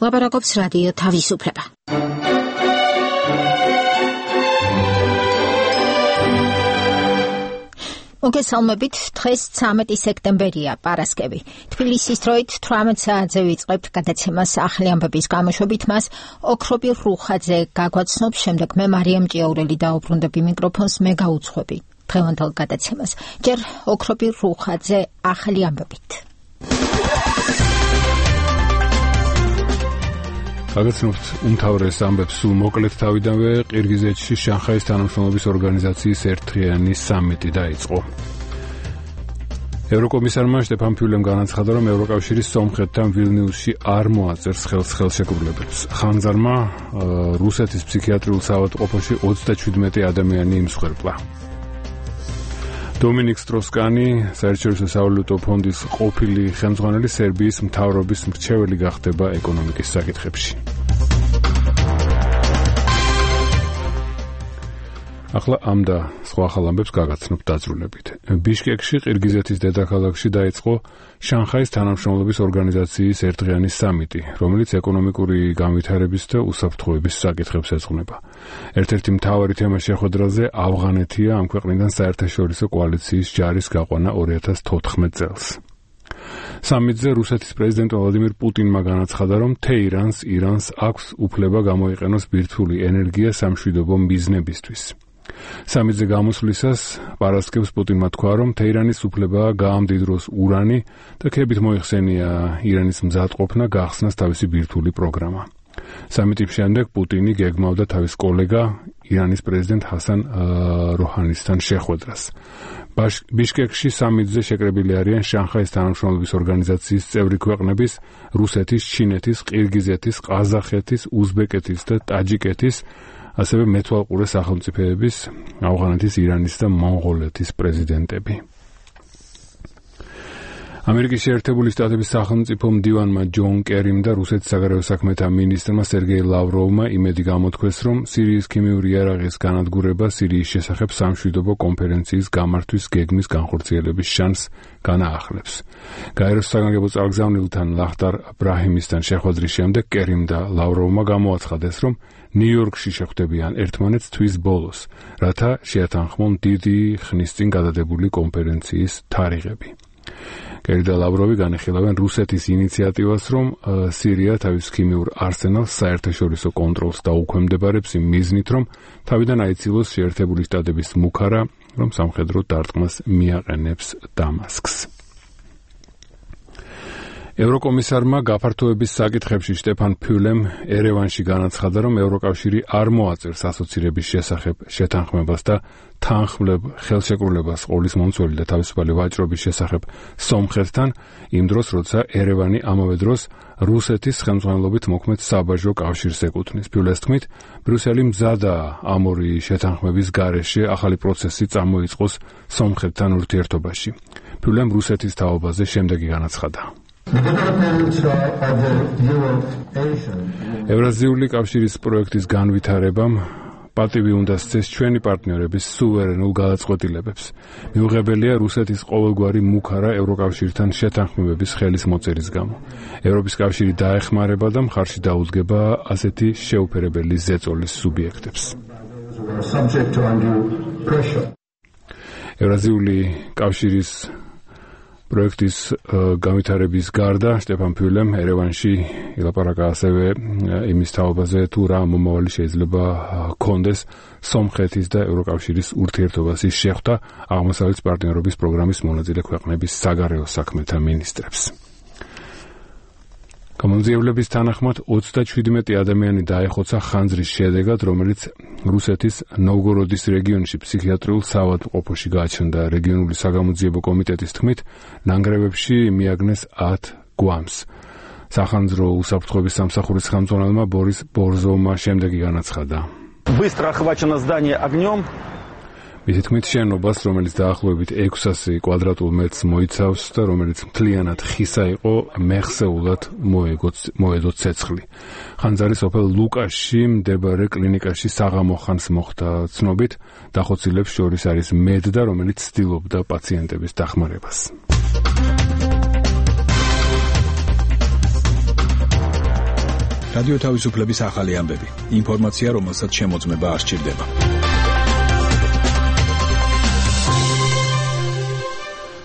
ლაპარაკობს რადიო თავისუფლება. მოგესალმებით, დღეს 13 სექტემბერია, პარასკევი. თბილისის დროით 18 საათზე ვიწყებთ გადაცემას ახალი ამბების გამოშვებით. მას ოქრობირ რუხაძე გაგვაცნობს, შემდეგ მე მარიამ ჭიაურელი დაუბრუნდები მიკროფონს, მე გაუძღვები დღევანდელ გადაცემას. ჯერ ოქრობირ რუხაძე ახალი ამბებით. გაგაცნობთ უმთავრეს ამბებს სულ მოკლედ თავიდანვე. ყირგიზეთში შანხაის თანამშრომლობის ორგანიზაციის ერთდღიანი სამიტი დაიწყო. ევროკომისარმა შტეფან ფიულემ განაცხადა, რომ ევროკავშირის სომხეთთან ვილნიუსში არ მოაწერს ხელს ხელშეკრულებებს. ხანძარმა რუსეთის ფსიქიატრიულ საავადმყოფოში 37 ადამიანი იმსხვერპლა. დომინიკ სტროსკანი, საერთაშორისო სავალუტო ფონდის ყოფილი ხელმძღვანელი, სერბიის მთავრობის მრჩეველი გახდება ეკონომიკის საკითხებში. ახლა ამ და სხვა ახალ ამბებს გაგაცნობთ დაძრულებით. ბიშკეკში, ყირგიზეთის დედაქალაქში დაიწყო შანხაის თანამშრომლობის ორგანიზაციის ერთდღიანი სამიტი, რომელიც ეკონომიკური განვითარების და უსაფრთხოების საკითხებს ეძღვნება. ერთ-ერთი მთავარი თემა შეხვედრაზე ავღანეთია, ამ ქვეყნიდან საერთაშორისო კოალიციის ჯარის გაყვანა 2014 წელს. სამიტზე რუსეთის პრეზიდენტ ვლადიმირ პუტინმა განაცხადა, რომ ირანს აქვს უფლება გამოიყენოს ბირთვული ენერგია სამშვიდობო მიზნებისთვის. სამიტზე გამოსვლისას პარასკევს პუტინმა თქვა, რომ თეირანის უფლებაა გაამდიდროს ურანი და ქებით მოიხსენია ირანის მზადყოფნა გახსნას თავისი ბირთვული პროგრამა. სამიტის შემდეგ პუტინი გეგმავდა თავის კოლეგა ირანის პრეზიდენტ ჰასან როჰანისთან შეხვედრას. ბიშკეკში სამიტზე შეკრებილი არიან შანხაის თანამშრომლობის ორგანიზაციის წევრი ქვეყნების, რუსეთის, ჩინეთის, ყირგიზეთის, ყაზახეთის, უზბეკეთის და ტაჯიკეთის, ასევე მეთვალყურე სახელმწიფოების, ავღანეთის, ირანის და მონღოლეთის პრეზიდენტები. ამერიკის შეერთებული შტატების სახელმწიფო მდივანმა ჯონ კერიმ და რუსეთის საგარეო საქმეთა მინისტრმა სერგეი ლავროვმა იმედი გამოთქვეს, რომ სირიის ქიმიური იარაღის განადგურება სირიის შესახებ სამშვიდობო კონფერენციის გამართვის გეგმის განხორციელების შანსს განაახლებს. გაეროს საგანგებო წარგზავნილთან ლახტარ ბრაჰიმისთან შეხვედრის შემდეგ კერიმ და ლავროვმა გამოაცხადეს, რომ ნიუ-იორკში შეხვდებიან ერთმანეთს თვის ბოლოს, რათა შეათანხმონ დიდი ხნის წინ გადადებული კონფერენციის თარიღები. კერი და ლავროვი განეხილავენ რუსეთის ინიციატივას, რომ სირია თავის ქიმიურ არსენალს საერთაშორისო კონტროლს დაუქვემდებარებს იმ მიზნით, რომ თავიდან აიცილოს შეერთებული შტატების მუქარა, რომ სამხედრო დარტყმას მიაყენებს დამასკს. ევროკომისარმა გაფართოების საკითხებში შტეფან ფიულემ ერევანში განაცხადა, რომ ევროკავშირი არ მოაწერს ასოცირების შესახებ შეთანხმებას და თანხმლებ ხელშეკრულებას ყოლის მომცველი და თავისუფალი ვაჭრობის შესახებ სომხეთთან, იმ დროს, როცა ერევანი ამავე დროს რუსეთის ხელმძღვანელობით მოქმედ საბაჟო კავშირს ეკუთვნის. ფიულეს თქმით, ბრიუსელი მზადაა ამ ორი შეთანხმების გარეშე ახალი პროცესი წამოიწყოს სომხეთთან ურთიერთობაში. ფიულემ რუსეთის თაობაზე შემდეგი განაცხადა. ევრაზიული კავშირის პროექტის განვითარებამ პატივი უნდა სცეს ჩვენი პარტნიორების სუვერენულ გადაწყვეტილებებს. მიუღებელია რუსეთის ყოველგვარი მუქარა ევროკავშირთან შეთანხმებების ხელის მოწერის გამო. ევროპის კავშირი დაეხმარება და მხარში დაუდგება ასეთი შეუფერებელი ზეწოლის სუბიექტებს. ევრაზიული კავშირის პროექტის განვითარების გარდა შტეფან ფიულემ ერევანში ილაპარაკა ასევე იმის თაობაზე, თუ რა მომავალი შეიძლება ჰქონდეს სომხეთის და ევროკავშირის ურთიერთობასის შეხვდა აღმოსავლეთის პარტნიორობის პროგრამის მონაწილე ქვეყნების საგარეო საქმეთა მინისტრებს. გამომძიებლების თანახმად 37 ადამიანი დაეხოცა ხანძრის შედეგად, რომელიც რუსეთის ნოვგოროდის რეგიონში ფსიქიატრიულ საავადმყოფოში გააჩნდა. რეგიონული საგამოძიებო კომიტეტის თქმით, ნანგრევებში მიაგნეს 10 გვამს. სახანძრო უსაფრთხოების სამსახურის ხელმძღვანელმა ბორის ბორზოვმა შემდეგი განაცხადა. Быстро охвачено здание огнем. მისი თქმით, შენობას, რომელიც დაახლოებით 600 კვადრატულ მეტრს მოიცავს და რომელიც მთლიანად ხისა იყო, მეხსეულად მოედო ცეცხლი. ხანძარი სოფელ ლუკაში მდებარე კლინიკაში საღამო ხანს მოხდა. ცნობით, დახოცილებს შორის არის მედდა, რომელიც ცდილობდა პაციენტების დახმარებას. რადიო თავისუფლების ახალი ამბები. ინფორმაცია, რომელსაც შემოწმება არ სჭირდება.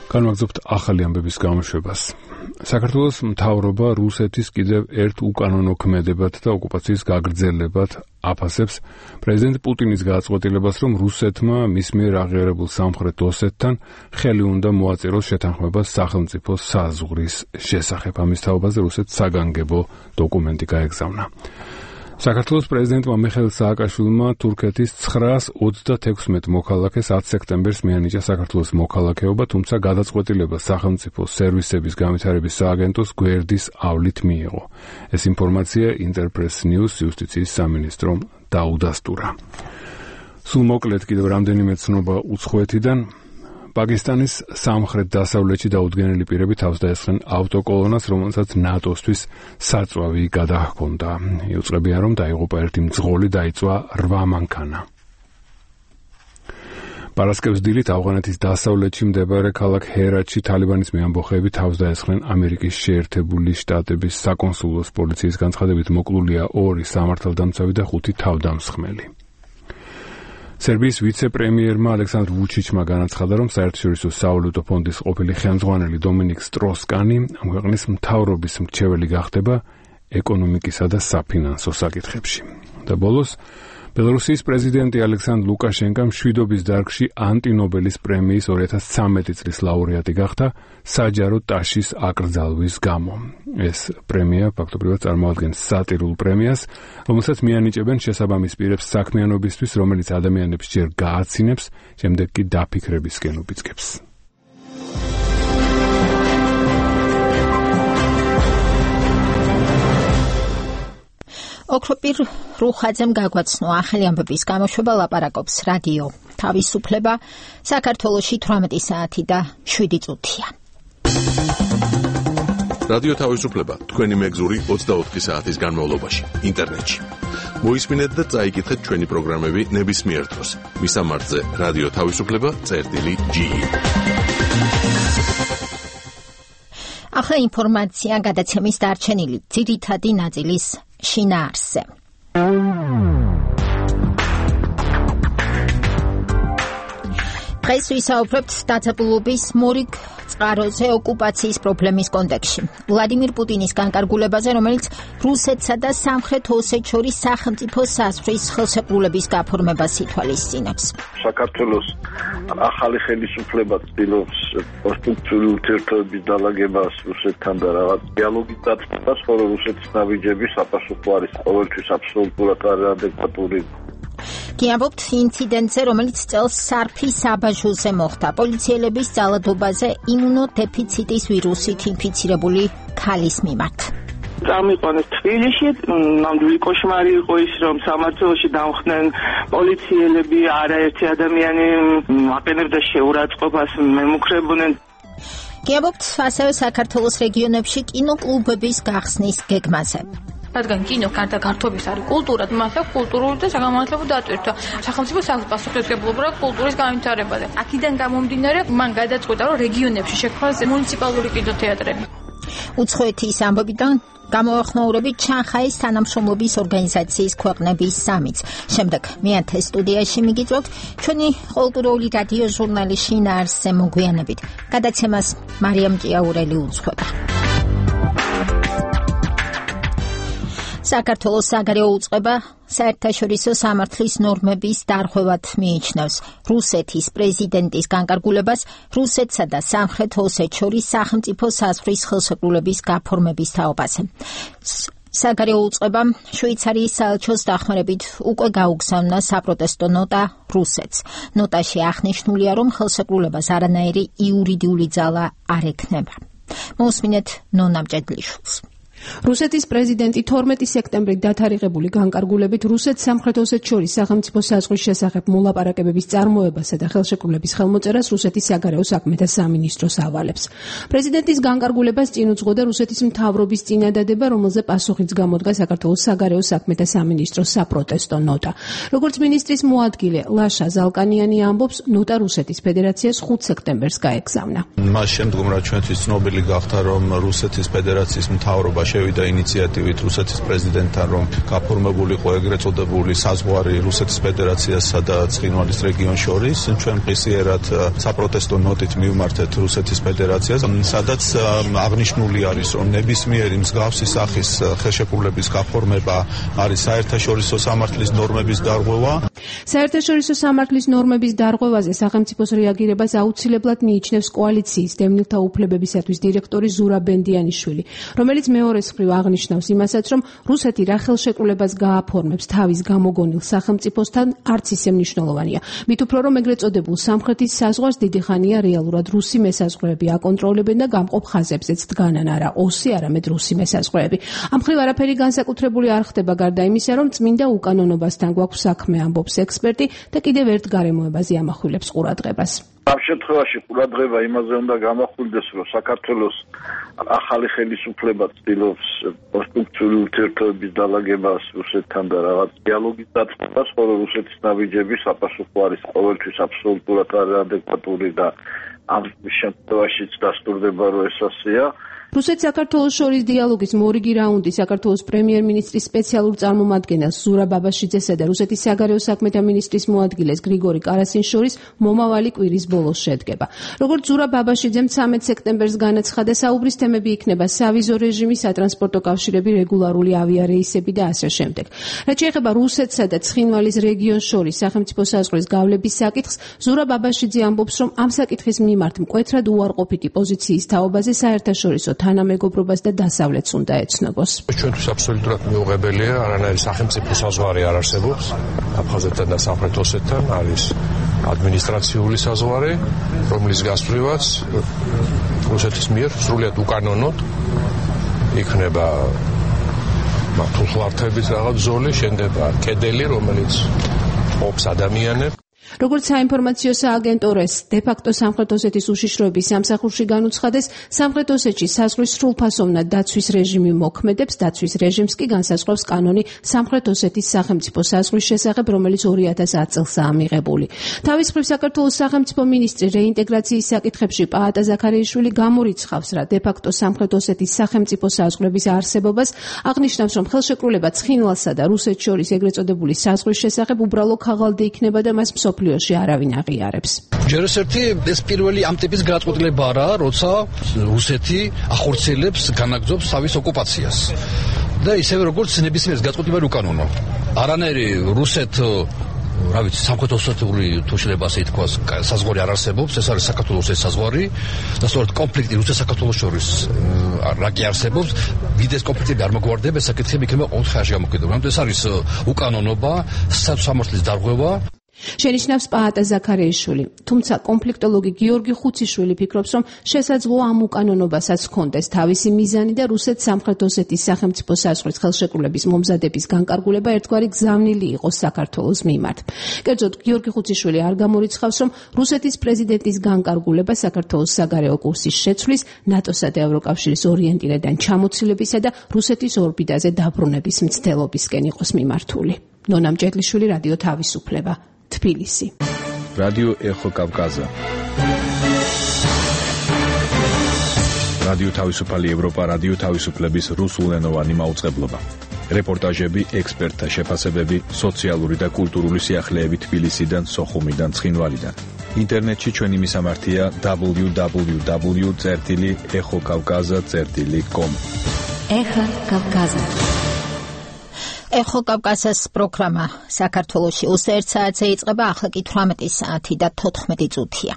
განვაგრძობთ ახალი ამბების გამოშვებას. საქართველოს მთავრობა რუსეთის კიდევ ერთ უკანონო ქმედებად და ოკუპაციის გაგრძელებად აფასებს პრეზიდენტ პუტინის გადაწყვეტილებას, რომ რუსეთმა მის მიერ აღიარებულ სამხრეთ ოსეთთან ხელი უნდა მოაწეროს შეთანხმებას სახელმწიფო საზღვრის შესახებ. ამის თაობაზე რუსეთს საგანგებო დოკუმენტი გაეგზავნა. საქართველოს პრეზიდენტმა მიხეილ სააკაშვილმა თურქეთის 936 მოქალაქეს 10 სექტემბერს მიანიჭა საქართველოს მოქალაქეობა, თუმცა გადაწყვეტილება სახელმწიფო სერვისების განვითარების სააგენტოს გვერდის ავლით მიიღო. ეს ინფორმაცია Interpress News იუსტიციის სამინისტრომ დაუდასტურა. სულ მოკლედ კიდევ რამდენიმე ცნობა უცხოეთიდან. პაკისტანის სამხრეთ-დასავლეთში დაუდგენელი პირები თავს დაესხნენ ავტოკოლონას, რომელსაც ნატოსთვის საწვავი გადაჰქონდა. იუწყებიან, რომ დაიღუპა ერთი მძღოლი, დაიწვა 8 მანქანა. პარასკევს დილით ავღანეთის დასავლეთში მდებარე ქალაქ ჰერატში თალიბანის მეამბოხეები თავს დაესხნენ ამერიკის შეერთებული შტატების საკონსულოს პოლიციის განცხადებით მოკლულია 2 სამართალდამცავი და 5 თავდამსხმელი. სერბიის ვიცე-პრემიერმა ალექსანდრ ვუჩიჩმა განაცხადა, რომ საერთაშორისო სავალუტო ფონდის ყოფილი ხელმძღვანელი დომინიკ სტროს-კანი ამ ქვეყნის მთავრობის მრჩეველი გახდება ეკონომიკისა და საფინანსო საკითხებში. და ბოლოს ბელარუსიის პრეზიდენტი ალექსანდრ ლუკაშენკა მშვიდობის დარგში ანტინობელის პრემიის 2013 წლის ლაურეატი გახდა საჯარო ტაშის აკრძალვის გამო. ეს პრემია ფაქტობრივად წარმოადგენს სატირულ პრემიას, რომელსაც მიანიჭებენ შესაბამის პირებს საქმიანობისთვის, რომელიც ადამიანებს ჯერ გააცინებს, შემდეგ კი დაფიქრებისკენ უბიძგებს. ოქროპირ რუხაძემ გაგვაცნო ახალი ამბების გამოშვება ლაპარაკობს რადიო თავისუფლება საქართველოში 18 საათი და 7 წუთია. რადიო თავისუფლება თქვენი მეგზური 24 საათის განმავლობაში ინტერნეტში. მოისმინეთ და წაიკითხეთ ჩვენი პროგრამები ნებისმიერ დროს. მისამართზე რადიო თავისუფლება.ge. ახლა ინფორმაცია გადაცემის დარჩენილი ძირითადი ნაწილის შინაარსზე. დღეს ვისაუბრებთ დაძაბულობის მორიგ წყაროზე ოკუპაციის პრობლემის კონტექსტში. ვლადიმირ პუტინის განკარგულებაზე, რომელიც რუსეთსა და სამხრეთ ოსეთს შორის სახელმწიფო საზღვრის ხელშეკრულების გაფორმებას ითვალისწინებს. საქართველოს ახალი ხელისუფლება ცდილობს კონსტრუქციული ურთიერთობების დალაგებას რუსეთთან და რაღაც დიალოგის დაწყებას, ხოლო რუსეთის ნაბიჯები საპასუხო არის ყოველთვის აბსოლუტურად არადეკვატური. გიამბობთ ინციდენტზე, რომელიც წელს სარფის საბაჟოზე მოხდა. პოლიციელების ძალადობაზე იმუნოდეფიციტის ვირუსით ინფიცირებული ქალის მიმართ. წამიყვანეს თბილისში, ნამდვილი კოშმარი იყო ის, რომ სამართლოში დამხდნენ პოლიციელები, არაერთი ადამიანი აყენებდა შეურაცხყოფას, მემუქრებოდნენ. გიამბობთ ასევე საქართველოს რეგიონებში კინოკლუბების გახსნის გეგმაზე. რადგან კინო გარდა გართობის არის კულტურა, მას აქვს კულტურული და საგანმანათლებლო დატვირთვა. სახელმწიფო პასუხისმგებლობა კულტურის განვითარებაზე. აქედან გამომდინარე, მან გადაწყვეტა, რომ რეგიონებში შექმნას მუნიციპალური კინოთეატრები. უცხოეთის ამბობიდან გამოახმაურებით შანხაის თანამშრომლობის ორგანიზაციის ქვეყნების სამიც. შემდეგ მეათე სტუდიაში მიგიწვევთ ჩვენი კულტურული რადიო ჟურნალი შინაარსზე მოგვიანებით. გადაცემას მარიამ ჭიაურელი უძღვება. საქართველოს საგარეო უწყება საერთაშორისო სამართლის ნორმების დარღვევად მიიჩნევს რუსეთის პრეზიდენტის განკარგულებას რუსეთსა და სამხრეთ ოსეთს შორის სახელმწიფო საზღვრის ხელშეკრულების გაფორმების თაობაზე. საგარეო უწყებამ შვეიცარიის საელჩოს დახმარებით უკვე გაუგზავნა საპროტესტო ნოტა რუსეთს. ნოტაში აღნიშნულია, რომ ხელშეკრულებას არანაირი იურიდიული ძალა არ ექნება. მოусმინეთ ნონა მჭედლიშვილს. რუსეთის პრეზიდენტი 12 სექტემბრით დათარიღებული განკარგულებით რუსეთს სამხრეთ ოსეთს შორის სახელმწიფო საზღვრის შესახებ მოლაპარაკებების წარმოებასა და ხელშეკრულების ხელმოწერას რუსეთის საგარეო საქმეთა სამინისტროს ავალებს. პრეზიდენტის განკარგულებას წინ უძღოდა რუსეთის მთავრობის წინადადება, რომელზე პასუხიც გამოდგა საქართველოს საგარეო საქმეთა სამინისტროს საპროტესტო ნოტა. როგორც მინისტრის მოადგილე ლაშა ზალკანიანი ამბობს, ნოტა რუსეთის ფედერაციას 5 სექტემბერს გაეგზავნა. მას შემდგომ რაც ჩვენთვის ცნობილი გახდა, რომ რუსეთის ფედერაციის მთავრობა შევიდა ინიციატივით რუსეთის პრეზიდენტთან, რომ გაფორმებულიყო ეგრეთ წოდებული საზღვარი რუსეთის ფედერაციასა და ცხინვალის რეგიონს შორის. ჩვენ ღირსიერად საპროტესტო ნოტით მივმართეთ რუსეთის ფედერაციას, სადაც აღნიშნული არის, რომ ნებისმიერი მსგავსი სახის ხელშეკრულების გაფორმება არის საერთაშორისო სამართლის ნორმების დარღვევა. საერთაშორისო სამართლის ნორმების დარღვევაზე სახელმწიფოს რეაგირებას აუცილებლად მიიჩნევს კოალიციის დევნილთა უფლებებისათვის დირექტორი ზურაბ ბენდიანიშვილი, რომელიც მეორეს მხრივ აღნიშნავს იმასაც, რომ რუსეთი რა ხელშეკრულებას გააფორმებს თავის გამოგონილ სახელმწიფოსთან არც ისე მნიშვნელოვანია. მით უფრო რომ ეგრეთ წოდებულ სამხრეთის საზღვარს დიდი ხანია რეალურად რუსი მესაზღვრეები აკონტროლებენ და გამყოფ ხაზებზეც დგანან არა ოსი, არამედ რუსი მესაზღვრეები. ამ მხრივ არაფერი განსაკუთრებული არ ხდება გარდა იმისა, რომ წმინდა უკანონობასთან გვაქვს საქმე, ამბობს ექსპერტი და კიდევ ერთ გარემოებაზე ამახვილებს ყურადღებას. ამ შემთხვევაში ყურადღება იმაზე უნდა გამახვილდეს, რომ საქართველოს ახალი ხელისუფლება ცდილობს კონსტრუქციული ურთიერთობების დალაგებას რუსეთთან და რაღაც დიალოგის დაწყებას, ხოლო რუსეთის ნაბიჯები საპასუხო არის ყოველთვის აბსოლუტურად არადეკვატური და ამ შემთხვევაშიც დასტურდება, რომ ეს ასეა. რუსეთ-საქართველოს შორის დიალოგის მორიგი რაუნდი საქართველოს პრემიერ-მინისტრის სპეციალურ წარმომადგენელს ზურაბ ბაბაშიძესა და რუსეთის საგარეო საქმეთა მინისტრის მოადგილეს გრიგორი კარასინს შორის მომავალი კვირის ბოლოს შედგება. როგორც ზურაბ ბაბაშიძემ 13 სექტემბერს განაცხადა, საუბრის თემები იქნება სავიზო რეჟიმი, სატრანსპორტო კავშირები, რეგულარული ავიარეისები და ასე შემდეგ. რაც შეეხება რუსეთსა და ცხინვალის რეგიონს შორის სახელმწიფო საზღვრის გავლების საკითხს, ზურაბ ბაბაშიძე ამბობს, რომ ამ საკითხის მიმართ მკვეთრად უარყოფითი პოზიციის თაობაზე საერთაშორისო თანამეგობრობას და დასავლეთს უნდა ეცნობოს. ჩვენთვის აბსოლუტურად მიუღებელია, არანაირი სახელმწიფო საზღვარი არ არსებობს აფხაზეთთან და სამხრეთ ოსეთთან, არის ადმინისტრაციული საზღვარი, რომლის გასწვრივაც რუსეთის მიერ სრულიად უკანონოდ იქნება მართლმსვართების რაღაც ზოლი, შენდება კედელი, რომელიც ყოფს ადამიანებს. როგორც საინფორმაციო სააგენტოს დე-ფაქტო სამხრეთ ოსეთის უშიშროების სამსახურში განუცხადეს, სამხრეთ ossetში საზღვრის სრულფასოვნად დაცვის რეჟიმი მოქმედებს, დაცვის რეჟიმს კი განსაზღვრავს კანონი სამხრეთ ossetis სახელმწიფო საზღვრის შესახებ, რომელიც 2010 წელსაა მიღებული. თავის მხრივ საქართველოს სახელმწიფო მინისტრი რეინტეგრაციის საკითხებში პაატა ზაქარიაშვილი გამორიცხავს რა დე-ფაქტო სამხრეთ ossetis სახელმწიფო საზღვრების არსებობას, აღნიშნავს, რომ ხელშეკრულება ცხინვალსა და რუსეთს შორის ეგრეთ წოდებული საზღვრის შესახებ უბრალო ქაღალდი იქნება და მას მსოფლიოში არავინ აღიარებს. ჯერ ერთი ეს პირველი ამ ტიპის გადაწყვეტილება არა, როცა რუსეთი ახორციელებს, განაგრძობს თავის ოკუპაციას. და ისევე როგორც ნებისმიერ გადაწყვეტილება უკანონო. არანაირი რუსეთ რა ვიცი, სამხრეთ ოსეთური თუ შეიძლება ასე ითქვას, საზღვარი არ არსებობს, ეს არის საქართველოს ეს საზღვარი და სწორედ კონფლიქტი რუსეთს საქართველოს შორის რა კი არსებობს, ვიდეს კონფლიქტები არ მოგვარდება, ეს საკითხები იქნება ყოველთვის ხარში გამოკიდებული. ამიტომ ეს არის უკანონობა, სამართლის დარღვევა. შენიშნავს პაატა ზაქარიაშვილი, თუმცა კონფლიქტოლოგი გიორგი ხუციშვილი ფიქრობს, რომ შესაძლოა ამ უკანონობასაც ჰქონდეს თავისი მიზანი და რუსეთ სამხრეთ ოსეთის სახელმწიფო საზღვრის ხელშეკრულების მომზადების განკარგულება ერთგვარი გზავნილი იყოს საქართველოს მიმართ. კერძოდ, გიორგი ხუციშვილი არ გამორიცხავს, რომ რუსეთის პრეზიდენტის განკარგულება საქართველოს საგარეო კურსის შეცვლის, ნატოსა და ევროკავშირის ორიენტირებიდან ჩამოცილებისა და რუსეთის ორბიტაზე დაბრუნების მცდელობისკენ იყოს მიმართული. ნონა მჭედლიშვილი, რადიო თავისუფლება. თბილისი. რადიო ეხო კავკაზა. რადიო თავისუფალი ევროპა, რადიო თავისუფლების რუსულენოვანი მაუწყებლობა. რეპორტაჟები, ექსპერტთა შეფასებები, სოციალური და კულტურული სიახლეები თბილისიდან, სოხუმიდან, ცხინვალიდან. ინტერნეტში ჩვენი მისამართია www.exokavkaza.com. ეხა კავკაზა. ეხო კავკაზას პროგრამა საქართველოში 21 საათზე იწყება, ახლა კი 18 საათი და 14 წუთია.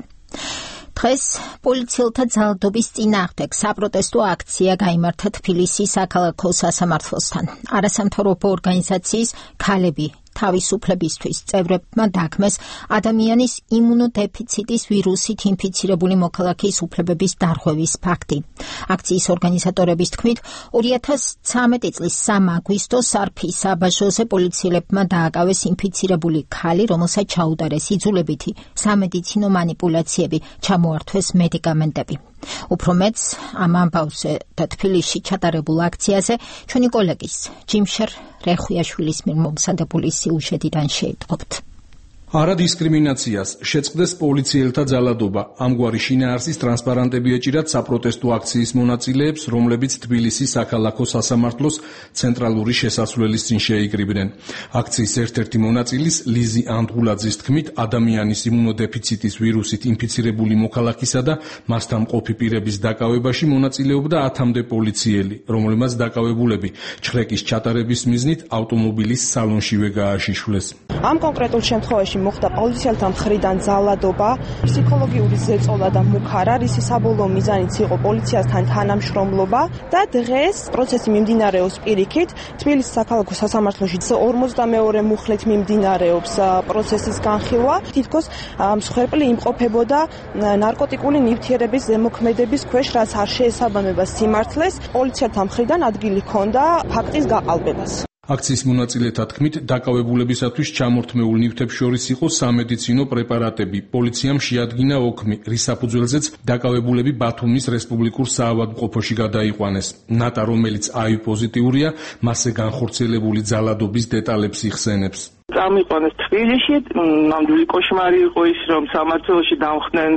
დღეს პოლიციელთა ძალადობის წინააღმდეგ საპროტესტო აქცია გაიმართა თბილისის საქალაქო სასამართლოსთან. არასამთავრობო ორგანიზაციის ქალები თავისუფლებისთვის წევრებმა დაგმეს ადამიანის იმუნოდეფიციტის ვირუსით ინფიცირებული მოქალაქის უფლებების დარღვევის ფაქტი. აქციის ორგანიზატორების თქმით, 2013 წლის 3 აგვისტოს სარფის საბაჟოზე პოლიციელებმა დააკავეს ინფიცირებული ქალი, რომელსაც ჩაუდარეს იძულებითი სამედიცინო მანიპულაციები, ჩამოართვეს მედიკამენტები. უფრო მეც ამ ამბავზე და თბილისში ჩატარებულ აქციაზე ჩვენი კოლეგის ჯიმშერ რეხუიაშვილის მიერ მომზადებული სიუჟეტიდან შეიტყობთ. არადისკრიმინაციას შეწყდეს პოლიციელთა ძალადობა. ამგვარი შინაარსის ტრანსპარანტები ეჭირათ საპროტესტო აქციის მონაწილეებს, რომლებიც თბილისის საქალაქო სასამართლოს ცენტრალური შესასვლელის წინ შეიკრიბნენ. აქციის ერთ-ერთი მონაწილის ლიზი ანდღულაძის თქმით, ადამიანის იმუნოდეფიციტის ვირუსით ინფიცირებული მოქალაქისა და მასთან მყოფი პირების დაკავებაში მონაწილეობდა 10-მდე პოლიციელი, რომლებმაც დაკავებულები ჩხრეკის ჩატარების მიზნით ავტომობილის სალონშივე გააშიშვლეს. ამ კონკრეტულ შემთხვევაში მოხდა პოლიციელთა მხრიდან ძალადობა, ფსიქოლოგიური ზეწოლა და მუქარა, რის საბოლოო მიზანიც იყო პოლიციასთან თანამშრომლობა და დღეს პროცესი მიმდინარეობს პირიქით. თბილისის საქალაქო სასამართლოში 52 მუხლით მიმდინარეობს პროცესის განხილვა. თითქოს მსხვერპლი იმყოფებოდა ნარკოტიკული ნივთიერების ზემოქმედების ქვეშ, რაც არ შეესაბამება სიმართლეს. პოლიციელთა მხრიდან ადგილი ჰქონდა ფაქტის გაყალბებას. აქციის მონაწილეთა თქმით, დაკავებულებისათვის ჩამორთმეულ ნივთებს შორის იყო სამედიცინო პრეპარატები. პოლიციამ შეადგინა ოქმი, რის საფუძველზეც დაკავებულები ბათუმის რესპუბლიკურ საავადმყოფოში გადაიყვანეს. ნატა, რომელიც HIV პოზიტიურია, მასზე განხორციელებული ძალადობის დეტალებს იხსენებს. წამიყვანეს თბილისში, ნამდვილი კოშმარი იყო ის, რომ სამართლოში დამხდნენ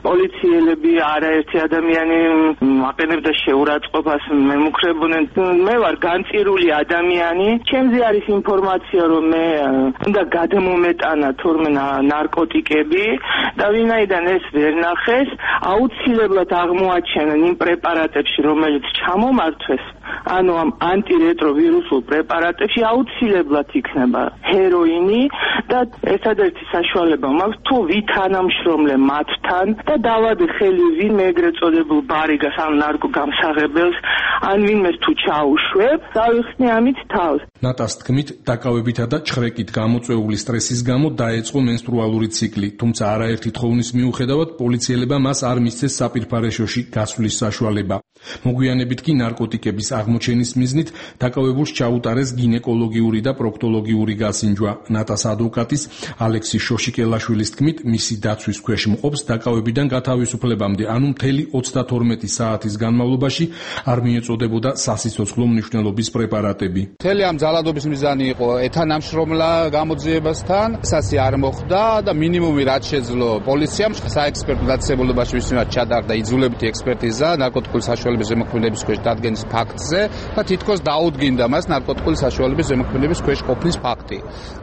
პოლიციელები, არაერთი ადამიანი აყენებდა შეურაცხყოფას, მემუქრებოდნენ. მე ვარ განწირული ადამიანი, ჩემზე არის ინფორმაცია, რომ მე უნდა გადმომეტანა თორმე ნარკოტიკები და ვინაიდან ეს ვერ ნახეს, აუცილებლად აღმოაჩენენ იმ პრეპარატებში, რომელიც ჩამომართვეს, ანუ ამ ანტირეტროვირუსულ პრეპარატებში აუცილებლად იქნება ჰეროინი და ერთადერთი საშუალება მაქვს თუ ვითანამშრომლე მათთან და დავადე ხელი ვინმე ეგრეთ წოდებულ ბარიგას ან ნარკო გამსაღებელს ან ვინმეს თუ ჩაუშვებ, დავიხსნე ამით თავს. ნატას თქმით, დაკავებითა და ჩხრეკით გამოწვეული სტრესის გამო დაეწყო მენსტრუალური ციკლი, თუმცა არაერთი თხოვნის მიუხედავად პოლიციელებმა მას არ მისცეს საპირფარეშოში გასვლის საშუალება. მოგვიანებით კი ნარკოტიკების აღმოჩენის მიზნით დაკავებულს ჩაუტარეს გინეკოლოგიური და პროქტოლოგიური გასინჯვა. ნატას ადვოკატის ალექსი შოშიკელაშვილის თქმით, მისი დაცვის ქვეშ მყოფს დაკავებიდან გათავისუფლებამდე, ანუ მთელი 32 საათის განმავლობაში არ მიეწოდებოდა სასიცოცხლო მნიშვნელობის პრეპარატები. მთელი ამ ძალადობის მიზანი იყო ეთანამშრომლა გამოძიებასთან, სასი არ მოხდა და მინიმუმი რაც შეძლო პოლიციამ საექსპერტო დაწესებულებაში ვისმენად ჩადარდა იძულებითი ექსპერტიზა ნარკოტიკული საშუალების ზემოქმედების ქვეშ დადგენის ფაქტზე და თითქოს დაუდგინდა მას ნარკოტიკული საშუალების ზემოქმედების ქვეშ ყოფნის ფაქტი.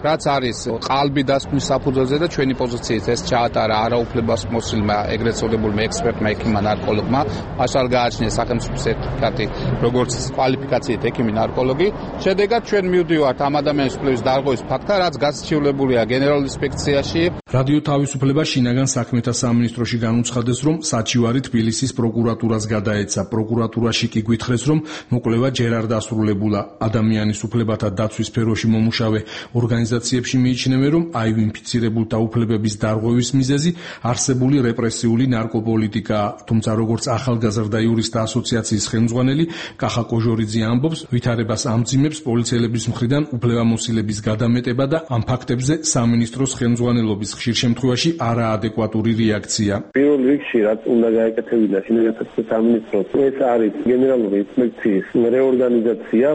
რაც არის ყალბი დასკვნის საფუძველზე და ჩვენი პოზიციით ეს ჩაატარა არაუფლებას მოსილმა ეგრეთ წოდებულმა ექსპერტმა ექიმმა ნარკოლოგმა, მაშალ გააჩნია სახელმწიფო სერტიფიკატი როგორც კვალიფიკაციით ექიმი ნარკოლოგი. შედეგად ჩვენ მივდივართ ამ ადამიანის კვლევის დარღვევის ფაქტთან, რაც გასაჩივრებულია გენერალურ ინსპექციაში. რადიო თავისუფლება შინაგან საქმეთა სამინისტროში განუცხადეს, რომ საჩივარი თბილისის პროკურატურას გადაეცა. პროკურატურაში კი გვითხრეს, რომ მოკვლევა ჯერ არ დასრულებულა. ადამიანის უფლებათა დაცვის სფეროში მომუშავე ორგანიზაციებში მიიჩნევენ, რომ HIV ინფიცირებულთა უფლებების დარღვევის მიზეზი არსებული რეპრესიული ნარკოპოლიტიკაა. თუმცა როგორც ახალგაზრდა იურისტთა ასოციაციის ხელმძღვანელი კახა კოჟორიძე ამბობს, ვითარებას ამძიმებს პოლიციელების მხრიდან უფლებამოსილების გადამეტება და ამ ფაქტებზე სამინისტროს ხელმძღვანელობის ხშირ შემთხვევაში არაადეკვატური რეაქცია. პირველ რიგში რაც უნდა გაეკეთებინა შინაგან საქმეთა სამინისტროს, ეს არის გენერალური ინსპექციის რეორგანიზაცია,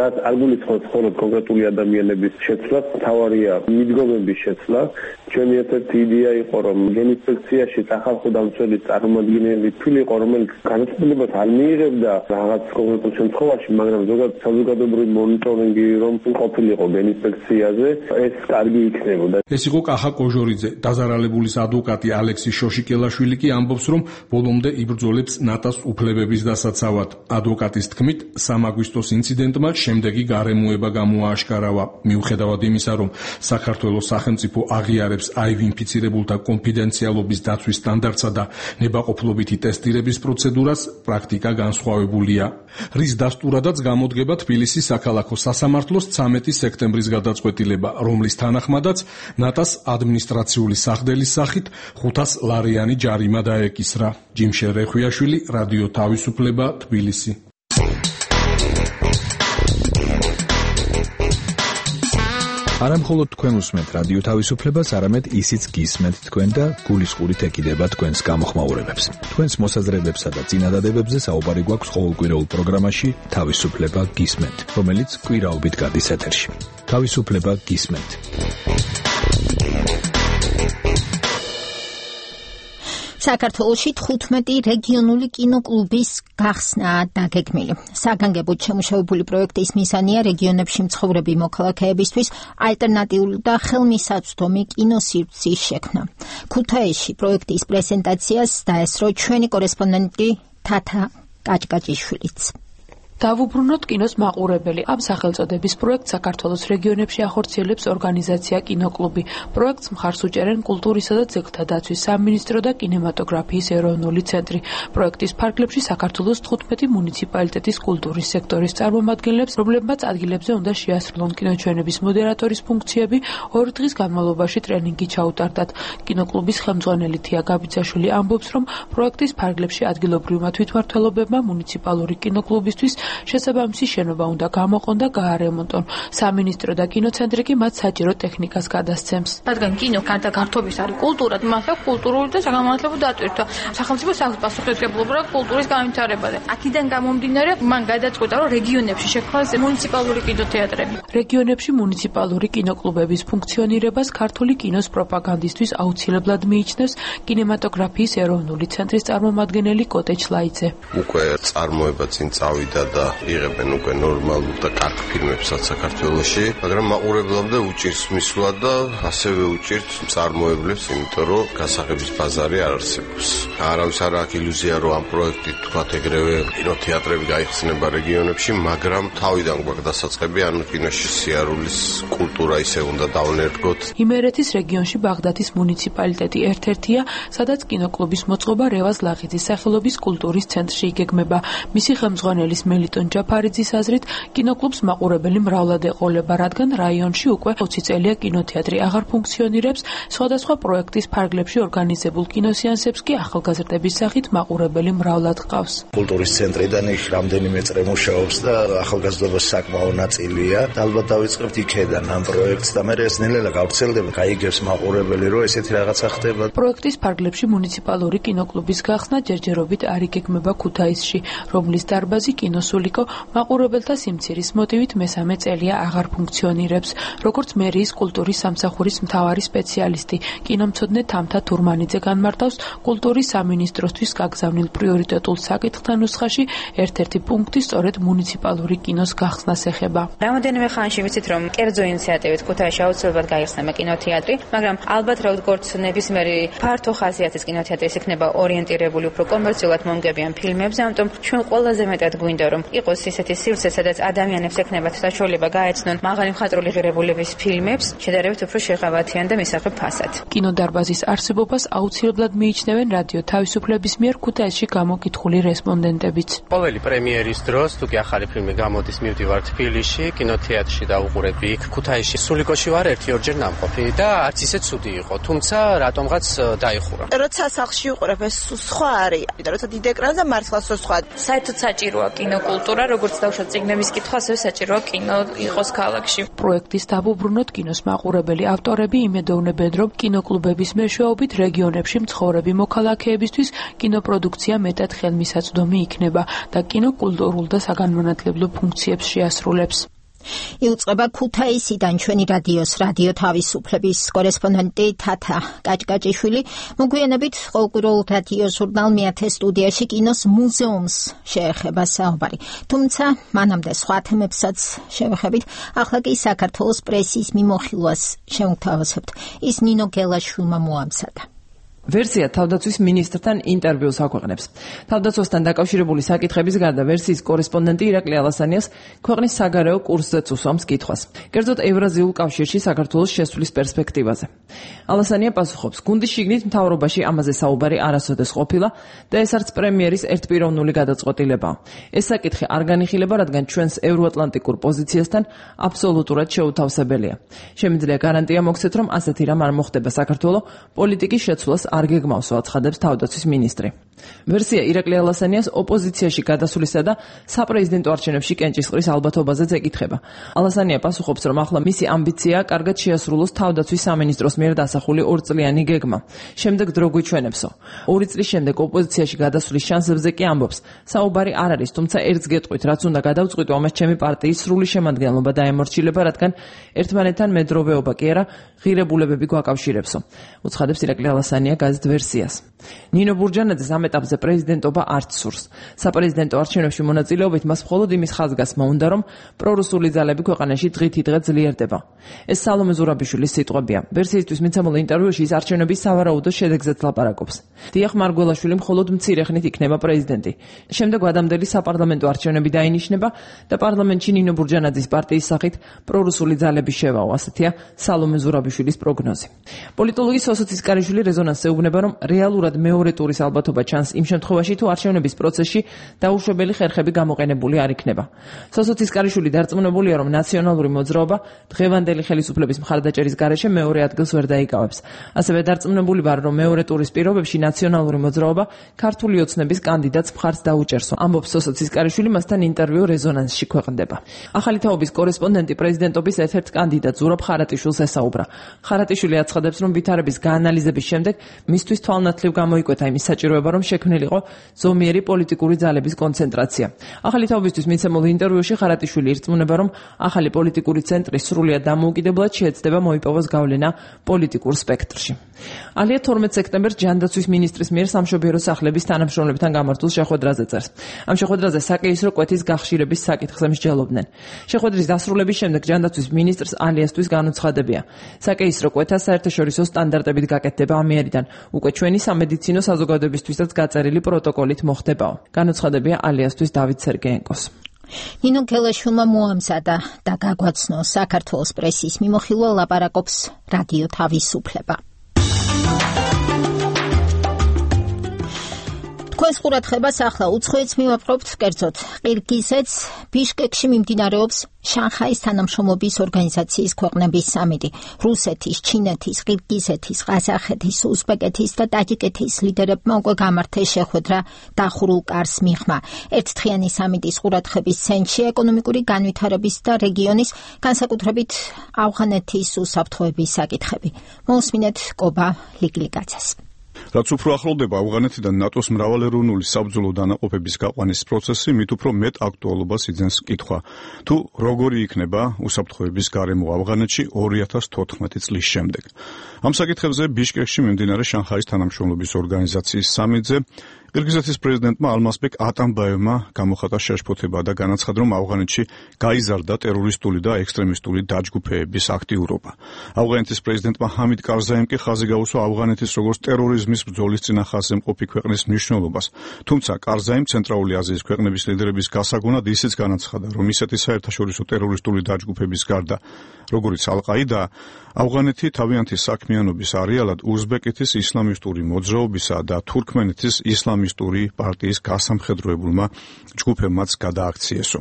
რაც არ გულისხმობს მხოლოდ კონკრეტული ადამიანების შეცვლას, მთავარია მიდგომების შეცვლა. ჩვენი ერთ-ერთი იდეა იყო, რომ ინსპექციაში სახალხო დამცველის წარმომადგენელი თვლიყო, რომელიც განაცხადებას არ მიიღებდა რაღაც კონკრეტულ შემთხვევაში, მაგრამ ზოგადად საზოგადოებრივი მონიტორინგი რომ ყოფილიყო ინსპექციაზე, ეს კარგი იქნებოდა. ეს იყო კახა კოჟორიძე. დაზარალებულის ადვოკატი ალექსი შოშიკელაშვილი კი ამბობს, რომ ბოლომდე იბრძოლებს ნატას უფლებების დასაცავად. ადვოკატის თქმით, 3 აგვისტოს ინციდენტმა შემდეგი გარემოება გამოააშკარავა. მიუხედავად იმისა, რომ საქართველოს სახელმწიფო აღიარებს HIV ინფიცირებულთა კონფიდენციალობის დაცვის სტანდარტსა და ნებაყოფლობითი ტესტირების პროცედურას, პრაქტიკა განსხვავებულია. რის დასტურადაც გამოდგება თბილისის საქალაქო სასამართლოს 13 სექტემბრის გადაწყვეტილება, რომლის თანახმადაც ნატას ადმინისტრაციული სახდელის სახით 500 ლარიანი ჯარიმა დაეკისრა. ჯიმშე რეხვიაშვილი, რადიო თავისუფლება, თბილისი. არამხოლოდ თქვენ უსმენთ რადიო თავისუფლებას, არამედ ისიც გისმენთ თქვენ და გულისხმობით ეკიდება თქვენს გამოხმაურებებს. თქვენს მოსაზრებებსა და წინადადებებზე საუბარი გვაქვს ყოველკვირეულ პროგრამაში თავისუფლება გისმენთ, რომელიც კვირაობით გადის ეთერში. თავისუფლება გისმენთ. საქართველოში 15 რეგიონული კინოკლუბის გახსნა დაგეგმილი. საგანგებოდ შემუშავებული პროექტის მიზანია რეგიონებში მცხოვრები მოქალაქეებისთვის ალტერნატიული და ხელმისაწვდომი კინოსივრცის შექმნა. ქუთაისში პროექტის პრეზენტაციას დაესწრო ჩვენი კორესპონდენტი თათა კაჭკაჭიშვილიც. დავუბრუნოთ კინოს მაყურებელი. ამ სახელწოდების პროექტს საქართველოს რეგიონებში ახორციელებს ორგანიზაცია კინოკლუბი. პროექტს მხარს უჭერენ კულტურისა და ძეგლთა დაცვის სამინისტრო და კინემატოგრაფიის ეროვნული ცენტრი. პროექტის ფარგლებში საქართველოს 15 მუნიციპალიტეტის კულტურის სექტორის წარმომადგენლებს, რომლებმაც ადგილებზე უნდა შეასრულონ კინოჩვენების მოდერატორის ფუნქციები, 2 დღის განმავლობაში ტრენინგი ჩაუტარდათ. კინოკლუბის ხელმძღვანელი თია გაბიძაშვილი ამბობს, რომ პროექტის ფარგლებში ადგილობრივმა თვითმმართველობებმა მუნიციპალური კინოკლუბისთვის შესაბამისი შენობა უნდა გამოყონ და გაარემონტონ. სამინისტრო და კინოცენტრი კი მათ საჭირო ტექნიკას გადასცემს. რადგან კინო გარდა გართობის არის კულტურად, მართლა კულტურული და საგანმანათლებლო დატვირთვა. სახელმწიფო პასუხისმგებლობა კულტურის განვითარებაზე. აქედან გამომდინარე, მან გადაწყვიტა, რომ რეგიონებში შექმნას მუნიციპალური კინოთეატრები. რეგიონებში მუნიციპალური კინოკლუბების ფუნქციონირებას ქართული კინოს პროპაგანდისტვის აუცილებლად მიიჩნევს კინემატოგრაფიის ეროვნული ცენტრის წარმომადგენელი კოტე ჩლაიძე. უკვე წარმოება წინ წავიდა და იღებენ უკვე ნორმალურ და კარგ ფილმებსაც საქართველოში, მაგრამ მაყურებლამდე უჭირს მისვლა და ასევე უჭირს მწარმოებლებს, იმიტომ რომ გასაღების ბაზარი არ არსებობს. არავის არ აქვს ილუზია, რომ ამ პროექტით თქვათ ეგრევე კინოთეატრები გაიხსნება რეგიონებში, მაგრამ თავიდან გვაქვს დასაწყები, ანუ კინოში სიარულის კულტურა ისე უნდა დავნერგოთ. იმერეთის რეგიონში ბაღდათის მუნიციპალიტეტი ერთ-ერთია, სადაც კინოკლუბის მოწყობა რევაზ ლაღიძის სახელობის კულტურის ცენტრში იგეგმება. მისი ხელმძღვანელის მელიტონ ჯაფარიძის აზრით, კინოკლუბს მაყურებელი მრავლად ეყოლება, რადგან რაიონში უკვე 20 წელია კინოთეატრი აღარ ფუნქციონირებს, სხვადასხვა პროექტის ფარგლებში ორგანიზებულ კინოსეანსებს კი ახალგაზრდების სახით მაყურებელი მრავლად ჰყავს. კულტურის ცენტრიდან იქ რამდენიმე წრე მუშაობს და ახალგაზრდობის საკმაო ნაწილია. ალბათ დავიწყებთ იქედან ამ პროექტს და მე ეს ნელა გავრცელდება, გაიგებს მაყურებელი, რომ ესეთი რაღაცა ხდება. პროექტის ფარგლებში მუნიციპალური კინოკლუბის გახსნა ჯერჯერობით არ იგეგმება ქუთაისში, რომლის დარბაზი კინოსულიკო მაყურებელთა სიმცირის მოტივით მესამე წელია აღარ ფუნქციონირებს. როგორც მერიის კულტურის სამსახურის მთავარი სპეციალისტი, კინომცოდნე თამთა თურმანიძე განმარტავს, კულტურის სამინისტროსთვის გაგზავნილ პრიორიტეტულ საკითხთა ნუსხაში ერთ-ერთი პუნქტი სწორედ მუნიციპალური კინოს გახსნას ეხება. რამოდენიმე ხანში ვიცით, რომ კერძო ინიციატივით ქუთაისში აუცილებლად გაიხსნება კინოთეატრი, მაგრამ ალბათ როგორც ნებისმიერი ფართო ხასიათის კინოთეატრის იქნება ორიენტირებული უფრო კომერციულად მომგებიან ფილმებზე, ამიტომ ჩვენ ყველაზე მეტად გვინდა რომ იყოს ისეთი სივრცე, სადაც ადამიანებს ექნებათ საშუალება გაეცნონ მაღალი მხატვრული ღირებულების ფილმებს, შედარებით უფრო შეღავათიან და მისაღებ ფასად. კინოდარბაზის არსებობას აუცილებლად მიიჩნევენ რადიო თავისუფლების მიერ ქუთაისში გამოკითხული რესპონდენტებიც. ყოველი პრემიერის დროს, თუ კი ახალი ფილმი გამოდის, მივდივარ თბილისში, კინოთეატრში დავუყურები იქ. ქუთაისში სულიკოში ვარ 1-2 ნამყოფი და არც ისე ცუდი იყო, თუმცა რატომღაც დაიხურა. როცა სახლში ვიყურებ, ეს სხვა არის, და როცა დიდ ეკრანზე მართლაც სხვა. საერთოდ საჭიროა კინოკულტურა, როგორც დავუშვათ წიგნების კითხვა, ასევე საჭიროა კინო იყოს ქალაქში. პროექტის დავუბრუნოთ კინოს მაყურებელი ავტორები იმედოვნებენ, რომ კინოკლუბების მეშვეობით რეგიონებში მცხოვრები მოქალაქეებისთვის კინოპროდუქცია მეტად ხელმისაწვდომი იქნება და კინოკულტურულ და საგანმანათლებლო ფუნქციებს შეასრულებს. იუწყება ქუთაისიდან ჩვენი რადიო თავისუფლების კორესპონდენტი თათა კაჭკაჭიშვილი. მოგვიანებით ყოველკვირეულ რადიო ჟურნალ მეათე სტუდიაში კინოს მუზეუმს შეეხება საუბარი. თუმცა მანამდე სხვა თემებსაც შევეხებით. ახლა კი საქართველოს პრესის მიმოხილვას შევთავაზებთ. ის ნინო გელაშვილმა მოამზადა. ვერსია თავდაცვის მინისტრთან ინტერვიუს აქვეყნებს. თავდაცვასთან დაკავშირებული საკითხების გარდა ვერსიის კორესპონდენტი ირაკლი ალასანიას ქვეყნის საგარეო კურსზეც უსვამს კითხვას. კერძოდ ევრაზიულ კავშირში საქართველოს შესვლის პერსპექტივაზე. ალასანია პასუხობს, გუნდის შიგნით მთავრობაში ამაზე საუბარი არასოდეს ყოფილა და ეს არც პრემიერის ერთპიროვნული გადაწყვეტილებაა. ეს საკითხი არ განიხილება, რადგან ჩვენს ევროატლანტიკურ პოზიციასთან აბსოლუტურად შეუთავსებელია. შემიძლია გარანტია მოგცეთ, რომ ასეთი რამ არ მოხდება საქართველოს პოლიტიკის შეცვლას არ გეგმავს, აცხადებს თავდაცვის მინისტრი. ვერსია ირაკლი ალასანიას ოპოზიციაში გადასვლისა და საპრეზიდენტო არჩევნებში კენჭისყრის ალბათობაზეც ეკითხება. ალასანია პასუხობს, რომ ახლა მისი ამბიციაა კარგად შეასრულოს თავდაცვის სამინისტროს მიერ დასახული 2 წლიანი გეგმა. შემდეგ დრო გვიჩვენებსო. 2 წლის შემდეგ ოპოზიციაში გადასვლის შანსებზე კი ამბობს, საუბარი არ არის, თუმცა ერთს გეტყვით, რაც უნდა გადავწყვიტო, ამას ჩემი პარტიის სრული შემადგენლობა დაემორჩილება, რადგან ერთმანეთთან მედროვეობა კი არა, ღირებულებები გვაკავშირებსო. უცხადებს ირაკლი ალასანია გაზეთ ვერსიას. ნინო ბურჯანაძეს ამ ეტაპზე პრეზიდენტობა არც სურს. საპრეზიდენტო არჩევნებში მონაწილეობით მას მხოლოდ იმის ხაზგასმა უნდა, რომ პრორუსული ძალები ქვეყანაში დღითიდღე ძლიერდება. ეს სალომე ზურაბიშვილის სიტყვებია. ვერსიისთვის მიცემულ ინტერვიუში ის არჩევნების სავარაუდო შედეგზეც ლაპარაკობს. დიახ, მარგველაშვილი მხოლოდ მცირე ხნით იქნება პრეზიდენტი. შემდეგ ვადამდელი საპარლამენტო არჩევნები დაინიშნება და პარლამენტში ნინო ბურჯანაძის პარტიის სახით პრორუსული ძალები შევაო, ასეთია სალომე ზურაბიშვილის პროგნოზი. პოლიტოლოგი სოსო ცისკარიშვილი რეზონანსზე უბნება, რომ რეალურად მეორე ტურის ალბათობა ჩანს იმ შემთხვევაში, თუ არჩევნების პროცესში დაუშვებელი ხერხები გამოყენებული არ იქნება. სოსო ცისკარიშვილი დარწმუნებულია, რომ ნაციონალური მოძრაობა დღევანდელი ხელისუფლების მხარდაჭერის გარეშე მეორე ადგილს ვერ დაიკავებს. ასევე დარწმუნებული ვარ, რომ მეორე ტურის პირობებში ნაციონალური მოძრაობა ქართული ოცნების კანდიდატს მხარს დაუჭერსო. ამბობს სოსო ცისკარიშვილი, მასთან ინტერვიუ რეზონანსში ქვეყნდება. ახალი თაობის კორესპონდენტი პრეზიდენტობის ერთ-ერთ კანდიდატ ზურაბ ხარატიშვილს ესაუბრა. ხარატიშვილი აცხადებს, რომ ვითარების გაანალიზების შემდეგ მისთვის თვალნათლივ გამოიკვეთა იმის საჭიროება, რომ შექმნილიყო ზომიერი პოლიტიკური ძალების კონცენტრაცია. ახალი თაობისთვის მიცემულ ინტერვიუში ხარატიშვილი ირწმუნება, რომ ახალი პოლიტიკური ცენტრი სრულიად დამოუკიდებლად შეეცდება მოიპოვოს გავლენა პოლიტიკურ სპექტრში. ალია 12 სექტემბერს ჯანდაცვის მინისტრის მიერ სამშობიარო სახლების თანამშრომლებთან გამართულ შეხვედრაზე წერს. ამ შეხვედრაზე საკეისრო კვეთის გახშირების საკითხზე მსჯელობდნენ. შეხვედრის დასრულების შემდეგ ჯანდაცვის მინისტრს ალიასთვის განუცხადებია. საკეისრო კვეთა საერთაშორისო სტანდარტებით გაკეთდება ამიერიდან. უკვე ჩვენი სამედიცინო საზოგადოებისთვისაც გაწერილი პროტოკოლით მოხდებაო. განუცხადებია ალიასთვის დავით სერგეენკოს. ნინო გელაშვილმა მოამზადა და გაგვაცნო საქართველოს პრესის მიმოხილვა ლაპარაკობს რადიო თავისუფლება. თქვენს ყურადღებას ახლა უცხოეთს მივაპყრობთ, კერძოდ ყირგიზეთს. ბიშკეკში მიმდინარეობს შანხაის თანამშრომლობის ორგანიზაციის ქვეყნების სამიტი. რუსეთის, ჩინეთის, ყირგიზეთის, ყაზახეთის, უზბეკეთის და ტაჯიკეთის ლიდერებმა უკვე გამართეს შეხვედრა დახურულ კარს მიღმა. ერთდღიანი სამიტის ყურადღების ცენტრში ეკონომიკური განვითარების და რეგიონის, განსაკუთრებით ავღანეთის უსაფრთხოების საკითხები. მოусმინეთ კობა ლიკლიკაძეს. რაც უფრო ახლოვდება ავღანეთიდან ნატოს მრავალეროვნული საბრძოლო დანაყოფების გაყვანის პროცესი, მით უფრო მეტ აქტუალობას იძენს კითხვა, თუ როგორი იქნება უსაფრთხოების გარემო ავღანეთში 2014 წლის შემდეგ. ამ საკითხებზე ბიშკეკში მიმდინარე შანხაის თანამშრომლობის ორგანიზაციის სამიტზე ყირგიზეთის პრეზიდენტმა ალმასბეკ ატამბაევმა გამოხატა შეშფოთება და განაცხადა, რომ ავღანეთში გაიზარდა ტერორისტული და ექსტრემისტული დაჯგუფეების აქტიურობა. ავღანეთის პრეზიდენტმა ჰამიდ კარზაიმ კი ხაზი გაუსვა ავღანეთის როგორც ტერორიზმის ბრძოლის წინახაზე მყოფი ქვეყნის მნიშვნელობას. თუმცა კარზაიმ ცენტრალური აზიის ქვეყნების ლიდერების გასაგონად ისიც განაცხადა, რომ ისეთი საერთაშორისო ტერორისტული დაჯგუფების გარდა, როგორიც ალ-ყაიდა, ავღანეთი თავიანთი საქმიანობის არეალად უზბეკეთის ისლამისტური მოძრაობისა და თურქმენეთის ისლამისტური პარტიის გასამხედროებულმა ჯგუფებმაც გადააქციესო.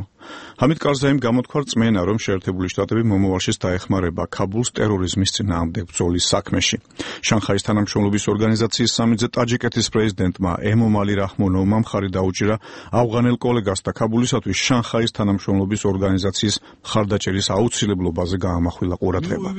ჰამიდ კარზაიმ გამოთქვა რწმენა, რომ შეერთებული შტატები მომავალშიც დაეხმარება ქაბულს ტერორიზმის წინააღმდეგ ბრძოლის საქმეში. შანხაის თანამშრომლობის ორგანიზაციის სამიტზე ტაჯიკეთის პრეზიდენტმა ემომალი რაჰმონოვმა მხარი დაუჭირა ავღანელ კოლეგას და ქაბულისათვის შანხაის თანამშრომლობის ორგანიზაციის მხარდაჭერის აუცილებლობაზე გაამახვილა ყურადღება.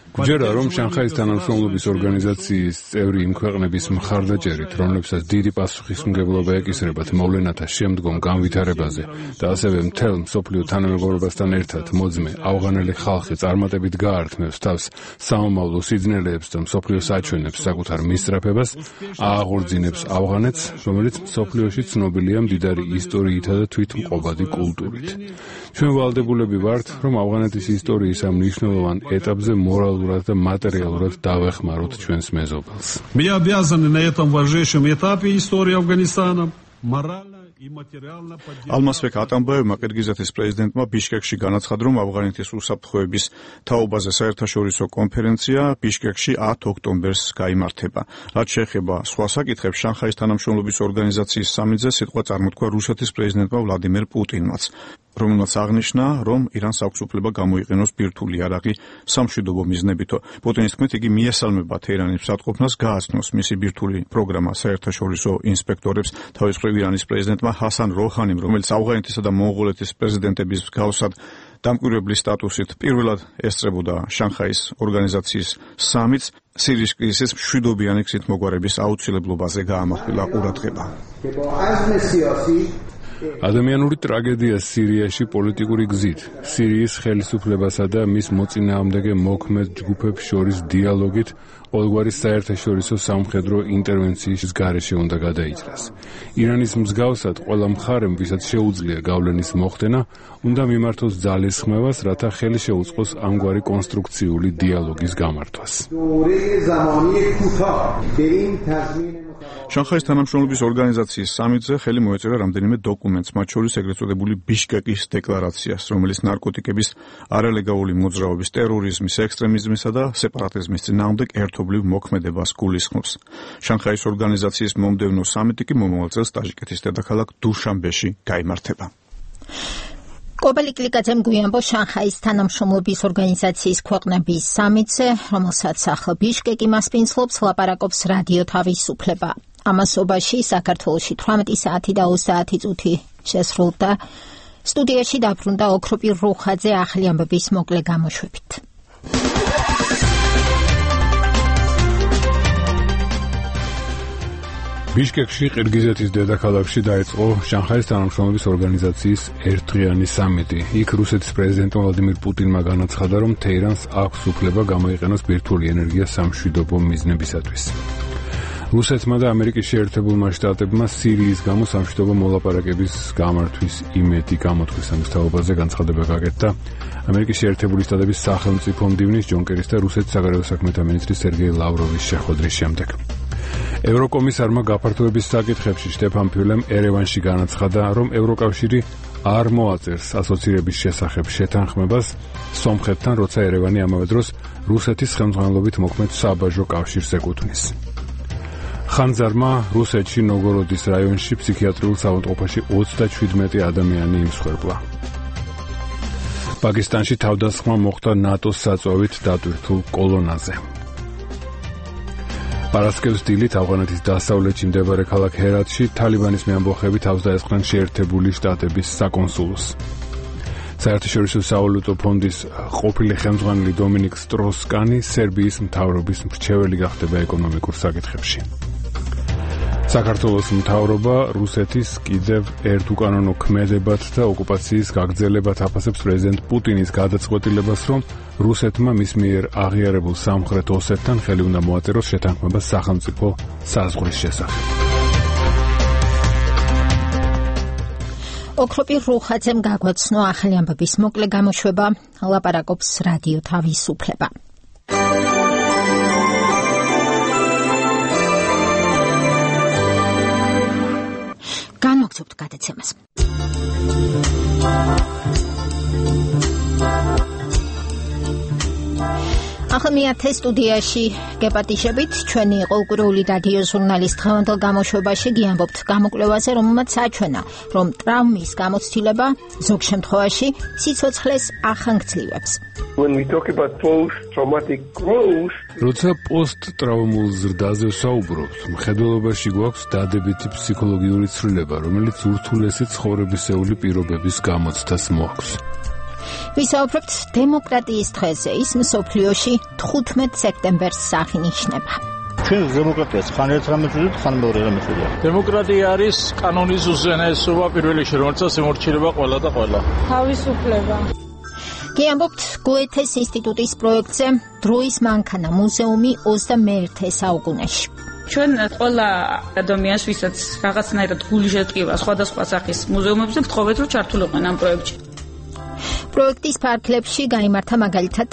გჯერა, რომ შანხაის თანამშრომლობის ორგანიზაციის წევრი იმ ქვეყნების მხარდაჭერით, რომლებსაც დიდი პასუხისმგებლობა ეკისრებათ მოვლენათა შემდგომ განვითარებაზე და ასევე მთელ მსოფლიო თანამეგობრობასთან ერთად მოძმე ავღანელი ხალხი წარმატებით გაართმევს თავს საომავლო სიძნელეებს და მსოფლიო საჩვენებს საკუთარ მისწრაფებას, ააღორძინებს ავღანეთს, რომელიც მსოფლიოში ცნობილია მდიდარი ისტორიითა და თვითმყოფადი კულტურით. ჩვენ ვალდებულები ვართ, რომ ავღანეთის ისტორიის ამ მნიშვნელოვან ეტაპზე моральურად და материалურად დავეხმაროთ ჩვენს მეზობელს. Мы обязаны на этом важнейшем этапе истории Афганистана морально и материально поддержать. ალმასბეკ ატამბაევმა ყირგიზეთის პრეზიდენტმა ბიშკეკში განაცხადა, რომ ავღანეთის უსაფრთხოების თაობაზე საერთაშორისო კონფერენცია ბიშკეკში 10 ოქტომბერს გაიმართება. რაც შეეხება სხვა საკითხებს, შანხაის თანამშრომლობის ორგანიზაციის სამიტზე სიტყვა წარმოთქვა რუსეთის პრეზიდენტმა ვლადიმერ პუტინმაც. რომელმაც აღნიშნა, რომ ირანს აქვს უფლება გამოიყენოს ბირთვული იარაღი სამშვიდობო მიზნებითო. პუტინის თქმით, იგი მიესალმება თეირანის მსატყოფნას გააცნოს მისი ბირთვული პროგრამა საერთაშორისო ინსპექტორებს. თავის მხრივ ირანის პრეზიდენტმა ჰასან როჰანიმ, რომელიც ავღანეთისა და მონღოლეთის პრეზიდენტების მსგავსად დამკვირვებლის სტატუსით პირველად ესწრებოდა შანხაის ორგანიზაციის სამიტს, სირიის კრიზისის მშვიდობიანი გზით მოგვარების აუცილებლობაზე გაამახვილა ყურადღება. ადამიანური ტრაგედია სირიაში პოლიტიკური გზით, სირიის ხელისუფლებასა და მის მოწინააღმდეგე მოქმედ ჯგუფებს შორის დიალოგით ყოველგვარი საერთაშორისო სამხედრო ინტერვენციის გარეშე უნდა გადაიჭრას. ირანის მსგავსად ყველა მხარემ, ვისაც შეუძლია გავლენის მოხდენა, უნდა მიმართოს ძალისხმევას, რათა ხელი შეუწყოს ამგვარი კონსტრუქციული დიალოგის გამართვას. შანხაის თანამშრომლობის ორგანიზაციის სამიტზე ხელი მოეწერა რამდენიმე დოკუმენტს, მათ შორის ეგრეთ წოდებული ბიშკეკის დეკლარაციას, რომელიც ნარკოტიკების არალეგალური მოძრაობის, ტერორიზმის, ექსტრემიზმისა და სეპარატიზმის წინააღმდეგ ერთობლივ მოქმედებას გულისხმობს. შანხაის ორგანიზაციის მომდევნო სამიტი კი მომავალ წელს ტაჯიკეთის დედაქალაქ დუშანბეში გაიმართება. კობელი კლიკაძემ გვიანბო შანხაის თანამშრომლობის ორგანიზაციის ქვეყნების სამიტზე, რომელსაც ახლა ბიშკეკი მასპინძლობს, ლაპარაკობს რადიო თავისუფლება. ამასობაში საქართველოში 18 საათი და 30 წუთი შესრულდა. სტუდიაში დაბრუნდა ოქროპირ რუხაძე ახალი ამბების მოკლე გამოშვებით. ბიშკეკში, ყირგიზეთის დედაქალაქში დაიწყო შანხაის თანამშრომლობის ორგანიზაციის ერთდღიანი სამიტი. იქ რუსეთის პრეზიდენტ ვლადიმირ პუტინმა განაცხადა, რომ თეირანს აქვს უფლება გამოიყენოს ბირთვული ენერგია სამშვიდობო მიზნებისათვის. რუსეთმა და ამერიკის შეერთებულმა შტატებმა სირიის გამო სამშვიდობო მოლაპარაკების გამართვის იმედი გამოთქვის ამბავზე განცხადება გაკეთდა ამერიკის შეერთებული შტატების სახელმწიფო მდივნის ჯონ კერის და რუსეთის საგარეო საქმეთა მინისტრის სერგეი ლავროვის შეხვედრის შემდეგ. ევროკომისარმა გაფართოების საკითხებში შტეფან ფიულემ ერევანში განაცხადა, რომ ევროკავშირი არ მოაწერს ასოცირების შესახებ შეთანხმებას სომხეთთან, როცა ერევანი ამავე დროს რუსეთის ხელმძღვანელობით მოქმედ საბაჟო კავშირს ეკუთვნის. ხანძარმა რუსეთში ნოგოროდის რაიონში ფსიქიატრიულ საავადმყოფოში 37 ადამიანი იმსხვერპლა. პაკისტანში თავდასხმა მოხდა ნატოს საწვევით დატვირთულ კოლონაზე. პარასკევს დილით ავღანეთის დასავლეთში მდებარე ქალაქ ჰერატში თალიბანის მეამბოხები თავს დაესხნენ შეერთებული შტატების საკონსულოს. საერთაშორისო სავალუტო ფონდის ყოფილი ხელმძღვანელი დომინიკ სტროს-კანი სერბიის მთავრობის მრჩეველი გახდება ეკონომიკურ საკითხებში. საქართველოს მთავრობა რუსეთის კიდევ ერთ უკანონო ქმედებად და ოკუპაციის გაგრძელებად აფასებს პრეზიდენტ პუტინის გადაწყვეტილებას, რომ რუსეთმა მის მიერ აღიარებულ სამხრეთ ოსეთთან ხელი უნდა მოაწეროს შეთანხმებას სახელმწიფო საზღვრის შესახებ. ოქროპირ რუხაძემ გაგვაცნო ახალი ამბების მოკლე გამოშვება, ლაპარაკობს რადიო თავისუფლება. განვაგრძობთ გადაცემას. ახლა მეათე სტუდიაში გეპატიჟებით, ჩვენი ყოველკვირეული რადიო ჟურნალის დღევანდელ გამოშვებაში გიამბობთ გამოკვლევაზე, რომელმაც აჩვენა, რომ ტრავმის გამოცდილება ზოგ შემთხვევაში სიცოცხლეს ახანგრძლივებს. When we talk about post-traumatic growth, როცა პოსტ-ტრავმულ ზრდაზე ვსაუბრობთ, მხედველობაში გვაქვს დადებითი ფსიქოლოგიური ცვლილება, რომელიც ურთულესი ცხოვრებისეული პირობების გამოცდას მოაქვს. ვისაუბრებთ დემოკრატიის დღეზე, ის მსოფლიოში 15 სექტემბერს აღინიშნება. ჩვენ დემოკრატიას ხან ერთ რამეს ვუძებთ, ხან მეორე რამეს ვუძებთ. დემოკრატია არის კანონის უზენაესობა პირველ რიგში, რომელსაც ემორჩილება ყველა და ყველა. თავისუფლება. გიამბობთ გოეთეს ინსტიტუტის პროექტზე დროის მანქანა მუზეუმი 21 საუკუნეში. ჩვენ ყველა ადამიანს, ვისაც რაღაცნაირად გული შეტკივა სხვადასხვა სახის მუზეუმებზე, ვთხოვეთ, რომ ჩართულიყო ამ პროექტში. პროექტის ფარგლებში გაიმართა მაგალითად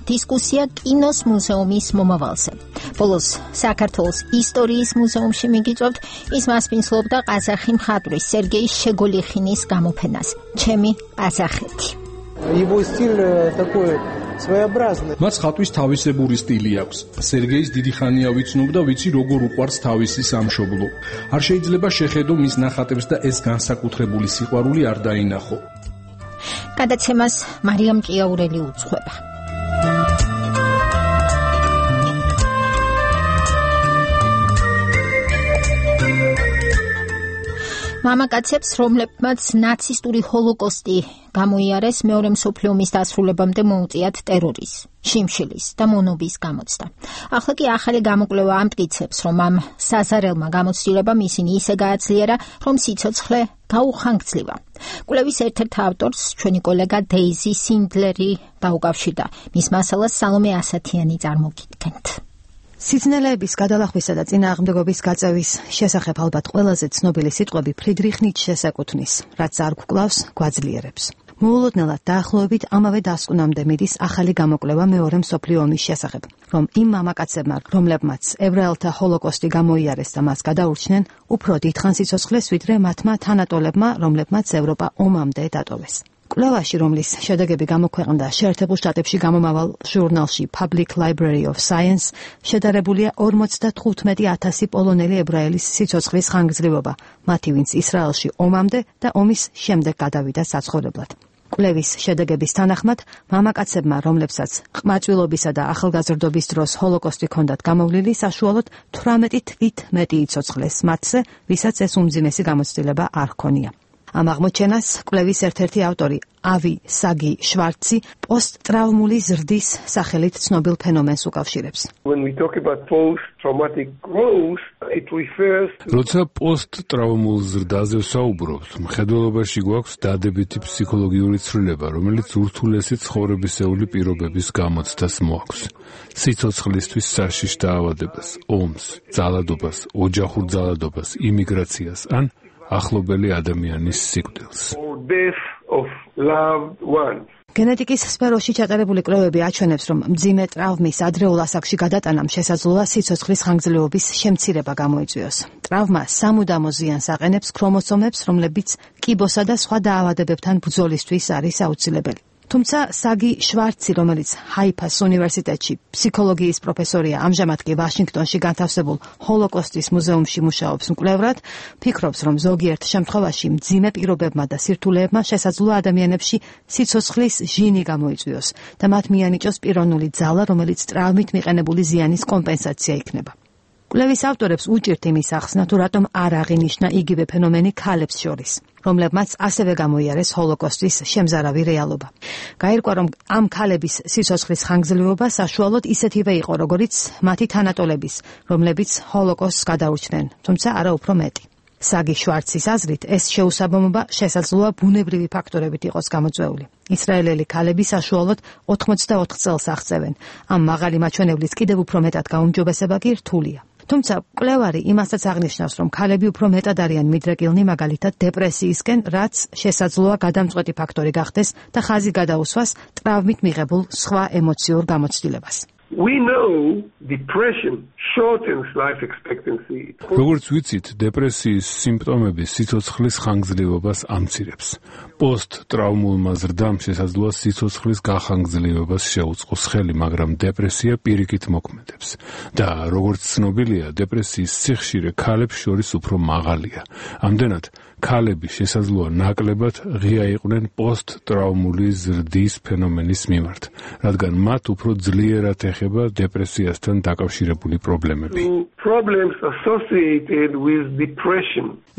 დისკუსია კინოს მუზეუმის მომავალზე. ბოლოს საქართველოს ისტორიის მუზეუმში მიგიწევთ, ის მასპინძლობდა ყაზახი მხატვრის სერგეი შეგოლიხინის გამოფენას ჩემი ყაზახეთი. Его стиль такой своеобразный. მას ხატვის თავისებური სტილი აქვს. სერგეის დიდი ხანია ვიცნობ და ვიცი როგორ უყვარს თავისი სამშობლო. არ შეიძლება შეხედო მის ნახატებს და ეს განსაკუთრებული სიყვარული არ დაინახო. გადაცემას მარიამ ჭიაურელი უძღვება. მამაკაცებს, რომლებმაც ნაცისტური ჰოლოკოსტი გამოიარეს, მეორე მსოფლიო ომის დასრულებამდე მოუწიათ ტერორის, შიმშილის და მონობის გამოცდა. ახლა კი ახალი გამოკვლევა ამტკიცებს, რომ ამ საზარელმა გამოცდილებამ ისინი ისე გააძლიერა, რომ სიცოცხლე გაუხანგრძლива. კვლევის ერთ-ერთ ავტორს ჩვენი კოლეგა დეიზი სინდლერი დაუკავშირდა. მის მასალას სალომე ასათიანი წარმოგიდგენთ. სიძნელეების გადალახვისა და წინააღმდეგობის გაწევის შესახებ ალბათ ყველაზე ცნობილი სიტყვები ფრიდრიხ ნიცშეს ეკუთვნის, რაც არ გვკლავს, გვაძლიერებს. მოულოდნელად დაახლოებით ამავე დასკვნამდე მიდის ახალი გამოკვლევა მეორე მსოფლიო ომის შესახებ, რომ იმ მამაკაცებმა, რომლებმაც ებრაელთა ჰოლოკოსტი გამოიარეს და მას გადაურჩნენ, უფრო დიდხანს სიცოცხლეს, ვიდრე მათმა თანატოლებმა, რომლებმაც ევროპა ომამდე დატოვეს. კვლევაში, რომლის შედეგები გამოქვეყნდა შეერთებულ შტატებში გამომავალ ჟურნალში Public Library of Science, შედარებულია 55,000 პოლონელი ებრაელის სიცოცხლის ხანგრძლივობა, მათი ვინც ისრაელში ომამდე და ომის შემდეგ გადავიდა საცხოვრებლად. კვლევის შედეგების თანახმად, მამაკაცებმა, რომლებსაც ყმაწვილობისა და ახალგაზრდობის დროს ჰოლოკოსტი ჰქონდათ გამოვლილი, საშუალოდ 18 თვით მეტი იცოცხლეს მათზე, ვისაც ეს უმძიმესი გამოცდილება არ ჰქონია. ამ აღმოჩენას კვლევის ერთ-ერთი ავტორი ავი საგი შვარცი პოსტტრავმული ზრდის სახელით ცნობილ ფენომენს უკავშირებს. როცა პოსტტრავმულ ზრდაზე ვსაუბრობთ, მხედველობაში გვაქვს დადებითი ფსიქოლოგიური ცვლილება, რომელიც ურთულესი ცხოვრებისეული პირობების გამოცდას მოაქვს. სიცოცხლისთვის საშიშ დაავადებას, ომს, ძალადობას, ოჯახურ ძალადობას, იმიგრაციას ან ახლობელი ადამიანის სიკვდილს. გენეტიკის სფეროში ჩატარებული კვლევები აჩვენებს, რომ მძიმე ტრავმის ადრეულ ასაკში გადატანამ შესაძლოა სიცოცხლის ხანგრძლივობის შემცირება გამოიწვიოს. ტრავმა სამუდამო ზიანს აყენებს ქრომოსომებს, რომლებიც კიბოსა და სხვა დაავადებებთან ბრძოლისთვის არის აუცილებელი. თუმცა საგი შვარცი, რომელიც ჰაიფას უნივერსიტეტში ფსიქოლოგიის პროფესორია, ამჟამად კი ვაშინგტონში განთავსებულ ჰოლოკოსტის მუზეუმში მუშაობს მკვლევრად, ფიქრობს, რომ ზოგიერთ შემთხვევაში მძიმე პირობებმა და სირთულეებმა შესაძლოა ადამიანებში სიცოცხლის ჟინი გამოიწვიოს და მათ მიანიჭოს პიროვნული ძალა, რომელიც ტრავმით მიყენებული ზიანის კომპენსაცია იქნება. კვლევის ავტორებს უჭირთ იმის ახსნა, თუ რატომ არ აღინიშნა იგივე ფენომენი ქალებს შორის, რომლებმაც ასევე გამოიარეს ჰოლოკოსტის შემზარავი რეალობა. გაირკვა, რომ ამ ქალების სიცოცხლის ხანგრძლივობა საშუალოდ ისეთივე იყო, როგორც მათი თანატოლების, რომლებიც ჰოლოკოსტს გადაურჩნენ, თუმცა არა უფრო მეტი. საგი შვარცის აზრით, ეს შეუსაბამობა შესაძლოა ბუნებრივი ფაქტორებით იყოს გამოწვეული. ისრაელელი ქალები საშუალოდ 84 წელს აღწევენ. ამ მაღალი მაჩვენებლის კიდევ უფრო მეტად გაუმჯობესება კი რთულია. თუმცა კვლევარი იმასაც აღნიშნავს, რომ ქალები უფრო მეტად არიან მიდრეკილნი მაგალითად დეპრესიისკენ, რაც შესაძლოა გადამწყვეტი ფაქტორი გახდეს და ხაზი გადაუსვას ტრავმით მიღებულ სხვა ემოციურ გამოცდილებას. როგორც ვიცით, დეპრესიის სიმპტომები სიცოცხლის ხანგრძლივობას ამცირებს. პოსტტრავმულმა ზრდამ შესაძლოა სიცოცხლის გახანგრძლივებას შეუწყოს ხელი, მაგრამ დეპრესია პირიქით მოქმედებს. და როგორც ცნობილია, დეპრესიის სიხშირე ქალებს შორის უფრო მაღალია. ამდენად, ქალები შესაძლოა ნაკლებად ღია იყვნენ პოსტტრავმული ზრდის ფენომენის მიმართ, რადგან მათ უფრო ძლიერად ეხება დეპრესიასთან დაკავშირებული პრობლემები.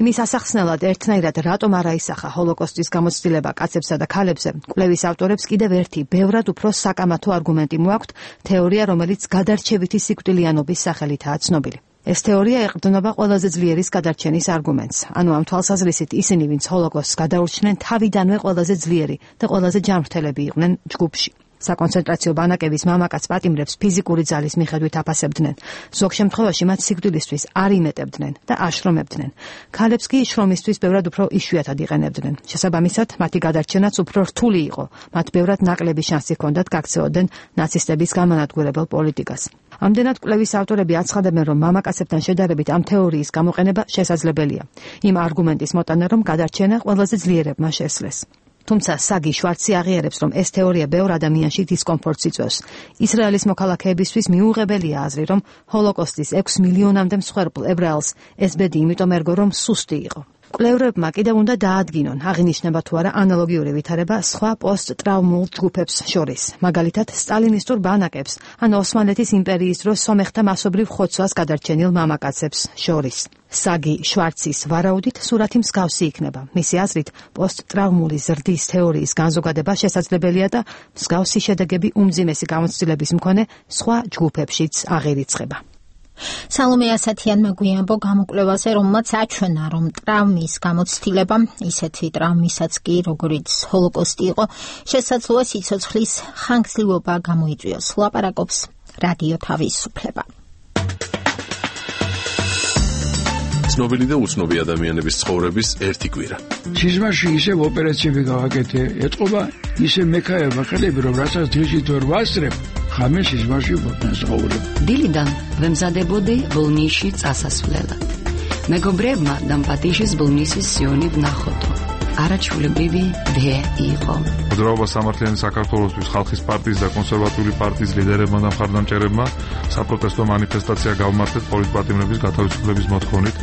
იმის ასახსნელად ერთნაირად რატომ არ აისახა ჰოლოკოსტის გამოცდილება კაცებსა და ქალებზე, კვლევის ავტორებს კიდევ ერთი, ბევრად უფრო საკამათო არგუმენტი მოაქვთ, თეორია, რომელიც გადარჩევითი სიკვდილიანობის სახელითაა ცნობილი. ეს თეორია ეყრდნობა ყველაზე ძლიერის გადარჩენის არგუმენტს. ანუ ამ თვალსაზრისით ისინი, ვინც ჰოლოკოსტს გადაურჩნენ, თავიდანვე ყველაზე ძლიერი და ყველაზე ჯანმრთელები იყვნენ ჯგუფში. საკონცენტრაციო ბანაკების მამაკაც პატიმრებს ფიზიკური ძალის მიხედვით აფასებდნენ. ზოგ შემთხვევაში მათ სიკვდილისთვის არ იმეტებდნენ და აშრომებდნენ. ქალებს კი შრომისთვის ბევრად უფრო იშვიათად იყენებდნენ. შესაბამისად, მათი გადარჩენაც უფრო რთული იყო. მათ ბევრად ნაკლები შანსი ჰქონდათ გაქცეოდნენ ნაცისტების გამანადგურებელ პოლიტიკას. ამდენად კვლევის ავტორები აცხადებენ, რომ მამაკაცებთან შედარებით ამ თეორიის გამოყენება შესაძლებელია. იმ არგუმენტის მოტანა, რომ გადარჩენა ყველაზე ძლიერებმა შესძლეს. თუმცა საგი შვარცი აღიარებს, რომ ეს თეორია ბევრ ადამიანში დისკომფორტს იწვევს. ისრაელის მოქალაქეებისთვის მიუღებელია აზრი, რომ ჰოლოკოსტის 6 მილიონამდე მსხვერპლ ებრაელს ეს ბედი იმიტომ ერგო, რომ სუსტი იყო. კვლევრებმა კიდევ უნდა დაადგინონ, აღინიშნება თუ არა ანალოგიური ვითარება სხვა პოსტ-ტრავმულ ჯგუფებს შორის, მაგალითად სტალინისტურ ბანაკებს ან ოსმალეთის იმპერიის დროს სომეხთა მასობრივ ხოცვას გადარჩენილ მამაკაცებს შორის. საგი შვარცის ვარაუდით სურათი მსგავსი იქნება. მისი აზრით, პოსტ-ტრავმული ზრდის თეორიის განზოგადება შესაძლებელია და მსგავსი შედეგები უმძიმესი გამოცდილების მქონე სხვა ჯგუფებშიც აღირიცხება. სალომე ასათიანმა გვიანბო გამოკვლევაზე, რომელმაც აჩვენა, რომ ტრავმის გამოცდილება, ისეთი ტრავმისაც კი, როგორიც ჰოლოკოსტი იყო, შესაძლოა სიცოცხლის ხანგრძლივობა გამოიწვიოს. ლაპარაკობს რადიო თავისუფლება. ცნობილი და უცნობი ადამიანების ცხოვრების ერთი კვირა. სიზმარში ისევ ოპერაციები გავაკეთე, ეთყობა ისე მექაება ხელები, რომ რასაც დღისით ვერ ვასწრებ, ხამე სიზმარში ვცხოვრობ. დილიდან ვემზადებოდი ბოლნისში წასასვლელად. მეგობრებმა დამპატიშის ბოლნისის სიონი ვნახოდო. არაჩვეულებრივი დღე იყო. მოძრაობა სამართლიანი საქართველოსთვის ხალხის პარტიის და კონსერვატიული პარტიის ლიდერებმა და მხარდამჭერებმა საპროტესტო მანიფესტაცია გავმართეთ პოლიტპატიმრების გათავისუფლების მოთხოვნით.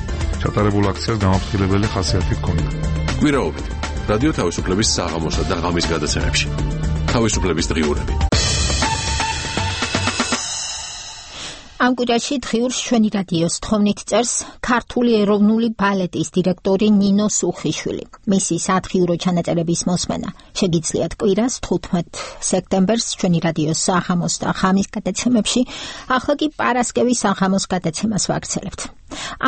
ჩატარებულ აქციას გამაფრთხილებელი ხასიათი ჰქონდა. კვირაობით რადიო თავისუფლების საღამოსა და ღამის გადაცემებში. თავისუფლების დღიურები. ამ კვირაში დღიურს ჩვენი რადიოს თხოვნით წერს ქართული ეროვნული ბალეტის დირექტორი ნინო სუხიშვილი. მისი სადღიურო ჩანაწერების მოსმენა შეგიძლიათ კვირას 15 სექტემბერს ჩვენი რადიოს საღამოს და ღამის გადაცემებში, ახლა კი პარასკევის საღამოს გადაცემას ვაგრძელებთ.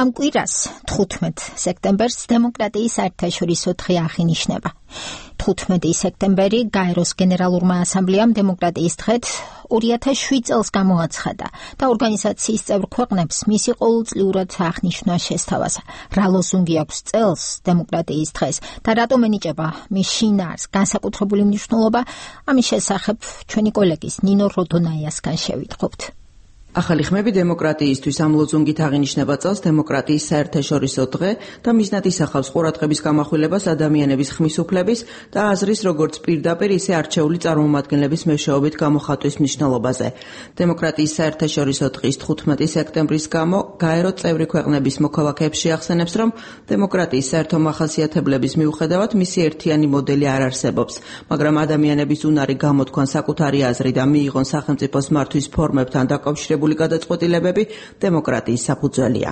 ამ კვირას 15 სექტემბერს დემოკრატიის საერთაშორისო დღე აღინიშნება. 15 სექტემბერი გაეროს გენერალურმა ასამბლეამ დემოკრატიის დღედ 2007 წელს გამოაცხადა და ორგანიზაციის წევრ ქვეყნებს მისი ყოველწლიურად აღნიშვნა შესთავაზა. რა ლოზუნგი აქვს წელს დემოკრატიის დღეს და რატომ ენიჭება მის შინაარს განსაკუთრებული მნიშვნელობა, ამის შესახებ ჩვენი კოლეგის ნინო როდონაიასგან შევიტყობთ. ახალი ხმები დემოკრატიისთვის ამ ლოზუნგით აღინიშნება წელს დემოკრატიის საერთაშორისო დღე და მიზნად ისახავს ყურადღების გამახვილებას ადამიანების ხმის უფლების და აზრის როგორც პირდაპირ ისე არჩეული წარმომადგენლების მეშვეობით გამოხატვის მნიშვნელობაზე. დემოკრატიის საერთაშორისო დღის 15 სექტემბრის გამო გაერო წევრი ქვეყნების მოქალაქეებს შეახსენებს, რომ დემოკრატიის საერთო მახასიათებლების მიუხედავად მისი ერთიანი მოდელი არ არსებობს, მაგრამ ადამიანების უნარი გამოთქვან საკუთარი აზრი და მიიღონ სახელმწიფოს მართვის ფორმებთან დაკავშირებული გადაწყვეტილებები დემოკრატიის საფუძველია.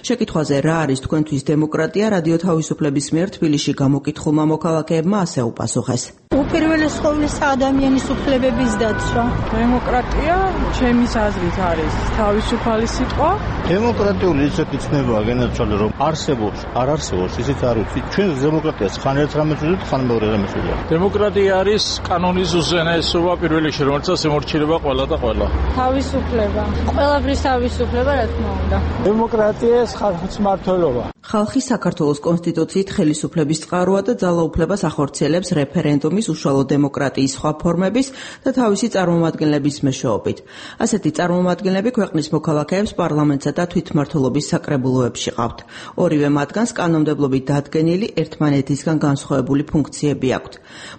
შეკითხვაზე რა არის თქვენთვის დემოკრატია, რადიო თავისუფლების მიერ თბილისში გამოკითხულმა მოქალაქეებმა ასე უპასუხეს. უპირველეს ყოვლისა ადამიანის უფლებების დაცვა. დემოკრატია ჩემის აზრით არის თავისუფალი სიტყვა. დემოკრატიული ისეთი ცნებაა განაცხადა, რომ არსებობს, არ არსებობს, ისიც არ ვიცი. ჩვენ დემოკრატიას ხან ერთ რამეს ვუძლებთ, ხან მეორე რამეს ვუძლებთ. დემოკრატია არის კანონის უზენაესობა პირველ რიგში, რომელსაც ემორჩილება ყველა და ყველა. თავისუფლება. ყველაფრის თავისუფლება, რა თქმა უნდა. დემოკრატიას ხალხის მმართველობა. ხალხი საქართველოს კონსტიტუციით ხელისუფლების წყაროა და ძალაუფლებას ახორციელებს რეფერენდუმის, უშუალო დემოკრატიის სხვა ფორმების და თავისი წარმომადგენლების მეშვეობით. ასეთი წარმომადგენლები ქვეყნის მოქალაქეებს პარლამენტსა და თვითმმართველობის საკრებულოებში ყავთ. ორივე მათგანს კანონმდებლობით დადგენილი ერთმანეთისგან განსხვავებული ფუნქციები აქვთ.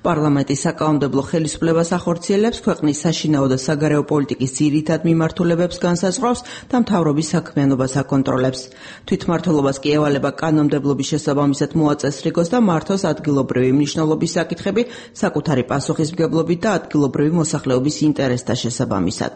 პარლამენტი საკანონმდებლო ხელისუფლებას ახორციელებს, ქვეყნის საშინაო და საგარეო პოლიტიკის ძირითად მიმართულებებს განსაზღვრავს და მთავრობის საქმიანობას აკონტროლებს. თვითმმართველობას კი ევალება კანონმდებლობის შესაბამისად მოაწესრიგოს და მართოს ადგილობრივი მნიშვნელობის საკითხები საკუთარი პასუხისმგებლობით და ადგილობრივი მოსახლეობის ინტერესთა შესაბამისად.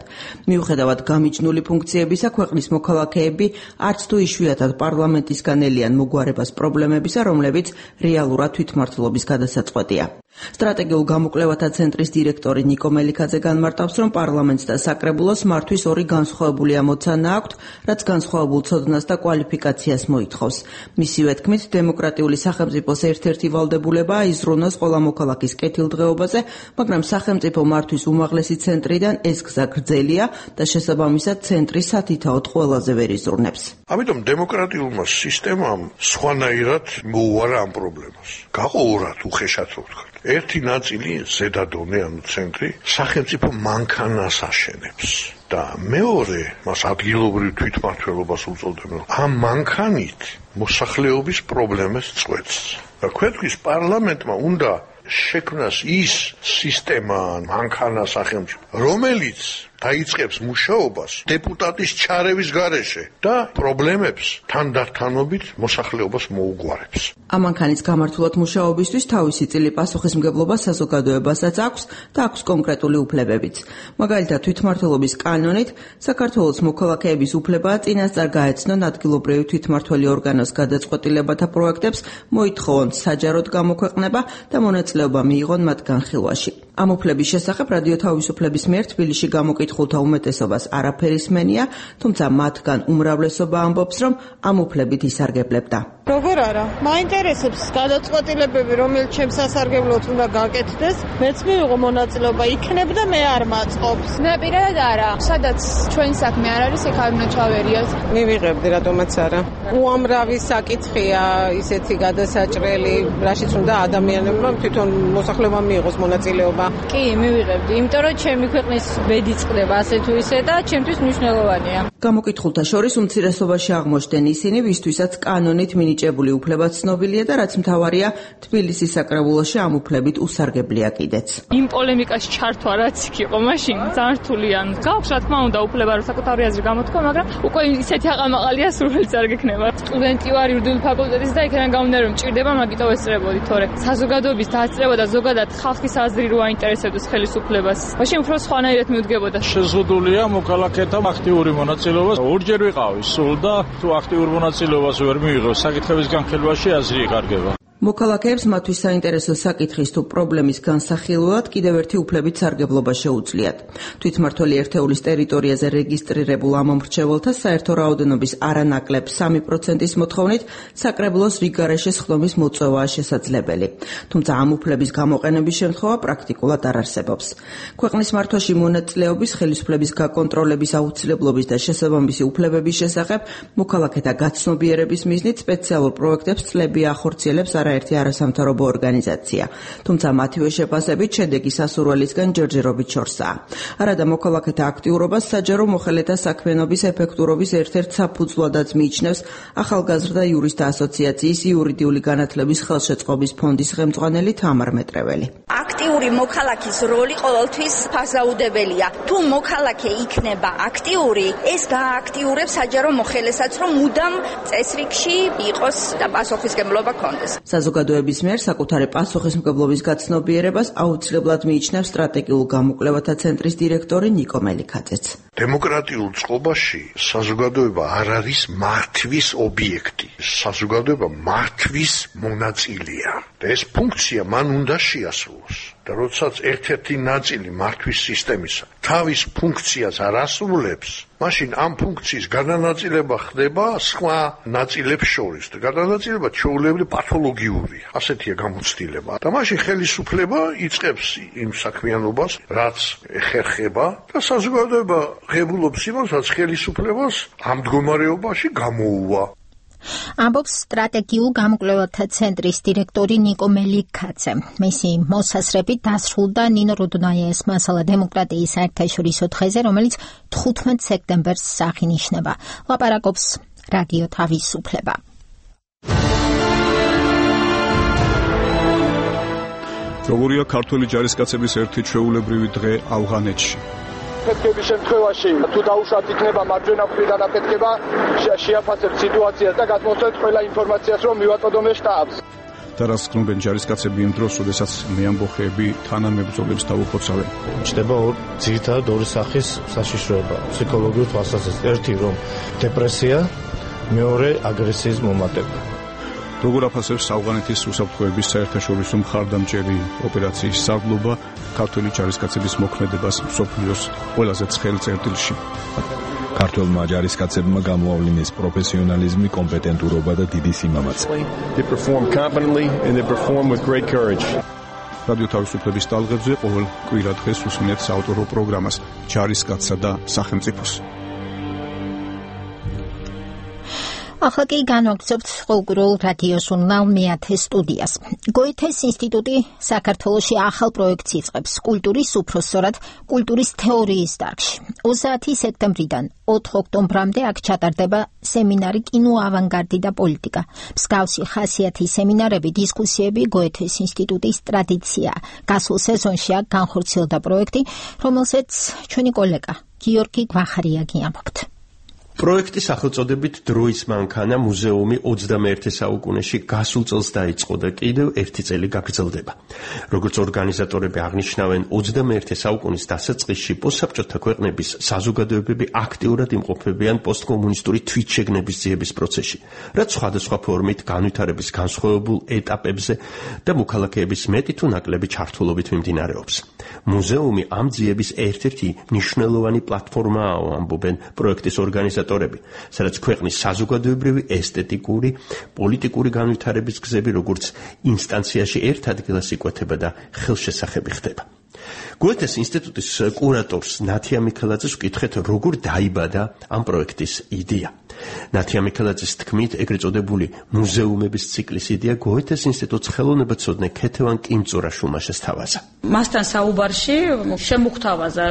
მიუხედავად გამიჯნული ფუნქციებისა, ქვეყნის მოქალაქეები არც თუ იშვიათად პარლამენტისგან ელიან მოგვარებას პრობლემებისა, რომლებიც რეალურად თვითმმართველობის გადასაწყვეტია. სტრატეგიულ გამოკვლევათა ცენტრის დირექტორი ნიკო მელიქაძე განმარტავს, რომ პარლამენტს და საკრებულოს მართვის ორი განსხვავებული ამოცანა აქვთ, რაც განსხვავებულ ცოდნას და კვალიფიკაციას მოითხოვს. მისივე თქმით, დემოკრატიული სახელმწიფოს ერთ-ერთი ვალდებულებაა იზრუნოს ყველა მოქალაქის კეთილდღეობაზე, მაგრამ სახელმწიფო მართვის უმაღლესი ცენტრიდან ეს გზა გრძელია და შესაბამისად ცენტრი სათითაოდ ყველაზე ვერ იზრუნებს. ამიტომ დემოკრატიულმა სისტემამ სხვანაირად მოუარა ამ პრობლემას. გაყოვრათ უხეშად რო ვთქვათ. ერთი ნაწილი ზედადონე, ანუ ცენტრი, სახელმწიფო მანქანას აშენებს. და მეორე, მას ადგილობრივ თვითმმართველობას უწოდებენ. ამ მანქანით მოსახლეობის პრობლემებს წყვეტს. და ქვეყნის პარლამენტმა უნდა შექმნას ის სისტემა, მანქანა სახელმწიფო, რომელიც დაიწყებს მუშაობას დეპუტატის ჩარევის გარეშე და პრობლემებს თანდათანობით მოსახლეობას მოუგვარებს. ამანქანის გამართულად მუშაობისთვის თავისი წილი პასუხისმგებლობა საზოგადოებასაც აქვს და აქვს კონკრეტული უფლებებიც. მაგალითად, თვითმმართველობის კანონით საქართველოს მოქალაქეების უფლებაა წინასწარ გაეცნონ ადგილობრივი თვითმმართველი ორგანოს გადაწყვეტილებათა პროექტებს, მოითხოვონ საჯაროდ გამოქვეყნება და მონაწილეობა მიიღონ მათ განხილვაში. ამ უფლების შესახებ რადიო თავისუფლების მიერ თბილისში გამოკითხულთა უმეტესობას არაფერი სმენია, თუმცა მათგან უმრავლესობა ამბობს, რომ ამ უფლებით ისარგებლებდა. როგორ არა? მაინტერესებს გადაწყვეტილებები, რომელიც ჩემს სასარგებლოდ უნდა გაკეთდეს, მეც მივიღო მონაწილეობა იქნებ და მე არ მაწყობს. ნაპირად არა. სადაც ჩვენ საქმე არ არის, იქ არ უნდა ჩავერიოთ. მივიღებდი, რატომაც არა. უამრავი საკითხია ისეთი გადასაჭრელი, რაშიც უნდა ადამიანებმა თვითონ მოსახლეობა მიიღოს მონაწილეობა. კი, მივიღებდი, იმიტომ რომ ჩემი ქვეყნის ბედი წყდება ასე თუ ისე და ჩემთვის მნიშვნელოვანია. გამოკითხულთა შორის უმცირესობაში აღმოჩნდნენ ისინი, ვისთვისაც კანონით მინიჭებული უფლება ცნობილია და რაც მთავარია, თბილისის საკრებულოში ამ უფლებით უსარგებლია კიდეც. იმ პოლემიკაში ჩართვა რაც იქ იყო, მაშინ ძალიან რთულიან. გაქვს რა თქმა უნდა უფლება რომ საკუთარი აზრი გამოთქვა, მაგრამ უკვე ისეთი აყამაყალია სურვილიც არ გექნება. სტუდენტი ვარ იურიდიული ფაკულტეტის და იქიდან გამომდინარე რომ მჭირდება, მაგიტო ესწრებოდი, თორე საზოგადოების დაასწრება და ზოგადად ხალხის აზრი რო აინტერესებდეს ხელისუფლებას. მაშინ უფრო სხვანაირად მიუდგებოდა. შეზღუდულია მოქალაქეთა აქტიური მონაწილეობა. ორჯერ ვიყავი სულ და თუ აქტიურ მონაწილეობას ვერ მიიღო, საკითხების განხილვაში აზრი იკარგება. მოქალაქეებს მათთვის საინტერესო საკითხის თუ პრობლემის განსახილველად კიდევ ერთი უფლებით სარგებლობა შეუძლიათ. თვითმმართველი ერთეულის ტერიტორიაზე რეგისტრირებულ ამომრჩეველთა საერთო რაოდენობის არანაკლებ 3%-ის მოთხოვნით საკრებულოს რიგგარეშე სხდომის მოწვევაა შესაძლებელი. თუმცა ამ უფლების გამოყენების შემთხვევა პრაქტიკულად არ არსებობს. ქვეყნის მართვაში მონაწილეობის, ხელისუფლების გაკონტროლების აუცილებლობის და შესაბამისი უფლებების შესახებ მოქალაქეთა გაცნობიერების მიზნით სპეციალურ პროექტებს წლებია ახორციელებს არაერთი არასამთავრობო ორგანიზაცია, თუმცა მათივე შეფასებით შედეგი სასურველისგან ჯერჯერობით შორსაა. არადა მოქალაქეთა აქტიურობას საჯარო მოხელეთა საქმიანობის ეფექტურობის ერთ-ერთ საფუძვლადაც მიიჩნევს ახალგაზრდა იურისტთა ასოციაციის იურიდიული განათლების ხელშეწყობის ფონდის ხელმძღვანელი თამარ მეტრეველი. აქტიური მოქალაქის როლი ყოველთვის ფასაუდებელია. თუ მოქალაქე იქნება აქტიური, ეს გააქტიურებს საჯარო მოხელესაც, რომ მუდამ წესრიგში იყოს და პასუხისმგებლობა ქონდეს. საზოგადოების მიერ საკუთარი პასუხისმგებლობის გაცნობიერებას აუცილებლად მიიჩნევს სტრატეგიულ გამოკვლევათა ცენტრის დირექტორი ნიკო მელიქაძეც. დემოკრატიულ წყობაში საზოგადოება არ არის მართვის ობიექტი. საზოგადოება მართვის მონაწილეა. და ეს ფუნქცია მან უნდა შეასრულოს. და როდესაც ერთ-ერთი ნაწილი მართვის სისტემისა თავის ფუნქციას არ ასრულებს, მაშინ ამ ფუნქციის გადანაწილება ხდება სხვა ნაწილებს შორის და გადანაწილება ჩვეულებრივ პათოლოგიურია. ასეთია გამოცდილება. და მაშინ ხელისუფლება იწყებს იმ საქმიანობას, რაც ეხერხება და საზოგადოება ღებულობს იმას, რაც ხელისუფლებას ამ მდგომარეობაში გამოუვა. ამბობს სტრატეგიულ გამოკვლევათა ცენტრის დირექტორი ნიკო მელიქაძე. მისი მოსასრებით დასრულდა ნინო რუდნაიეს მასალა დემოკრატიის საერთაშორისო დღეზე, რომელიც 15 სექტემბერს აღინიშნება. ლაპარაკობს რადიო თავისუფლება. როგორია ქართველი ჯარისკაცების ერთი ჩვეულებრივი დღე ავღანეთში? აფეთქების შემთხვევაში თუ დაუშვათ იქნება მარჯვენა მხრიდან აფეთქება, შეაფასებთ სიტუაციას და გადმოსცემთ ყველა ინფორმაციას, რომ მივაწოდოთ შტაბს. და რას გქნობენ ჯარისკაცები იმ დროს, როდესაც მეამბოხეები თანამებრძოლებს დაუხოცავენ? ჩნდება ძირითადად ორი სახის საშიშროება, ფსიქოლოგიურ თვალსაზრისით. ერთი რომ დეპრესია, მეორე აგრესიის მომატება. როგორ აფასებს ავღანეთის უსაფრთხოების საერთაშორისო მხარდამჭერი ოპერაციის სარდლობა ქართველი ჯარისკაცების მოქმედებას მსოფლიოს ყველაზე ცხელ წერტილში? ქართველმა ჯარისკაცებმა გამოავლინეს პროფესიონალიზმი, კომპეტენტურობა და დიდი სიმამაცე. რადიო თავისუფლების ტალღებზე ყოველ კვირა დღეს უსმენთ საავტორო პროგრამას ჯარისკაცსა და სახელმწიფოს. ახლა კი განვაგრძობთ ყოველდღიურ რადიო ჟურნალ მეათე სტუდიას. გოეთეს ინსტიტუტი საქართველოში ახალ პროექტს იწყებს კულტურის, უпроსწორად კულტურის თეორიის დარგში. 30 სექტემბრიდან 4 ოქტომბრამდე აქ ჩატარდება სემინარი კინო ავანგარდი და პოლიტიკა. მსგავსი ხასიათის სემინარები, დისკუსიები გოეთეს ინსტიტუტის ტრადიციაა. გასულ სეზონში აქ განხორციელდა პროექტი, რომელსაც ჩვენი კოლეგა გიორგი გვახარიაგი ამბობთ. პროექტის სახელწოდებით დროის მანქანა მუზეუმი 21 საუკუნეში გასულ წელს დაიწყო და კიდევ ერთი წელი გაგრძელდება. როგორც ორგანიზატორები აღნიშნავენ, 21 საუკუნის დასაწყისში პოსტსაბჭოთა ქვეყნების საზოგადოებები აქტიურად იმყოფებიან პოსტკომუნისტური თვითშეგნების ძიების პროცესში, რაც სხვადასხვა ფორმით განვითარების განსხვავებულ ეტაპებზე და მოქალაქეების მეტი თუ ნაკლები ჩართულობით მიმდინარეობს. მუზეუმი ამ ძიების ერთ-ერთი მნიშვნელოვანი პლატფორმაა, ამბობენ პროექტის ორგანიზატორები, სადაც ქვეყნის საზოგადოებრივი, ესთეტიკური, პოლიტიკური განვითარების გზები როგორც ინსტანციაში ერთ ადგილას იკვეთება და ხელშესახები ხდება. გოეთეს ინსტიტუტის კურატორს ნათია მიქელაძეს ვკითხეთ, როგორ დაიბადა ამ პროექტის იდეა. ნათია მიქელაძის თქმით, ეგრეთ წოდებული მუზეუმების ციკლის იდეა გოეთეს ინსტიტუტს ხელოვნებაცოდნე ქეთევან კიმწურაშვილმა შესთავაზა. მასთან საუბარში შემოგვთავაზა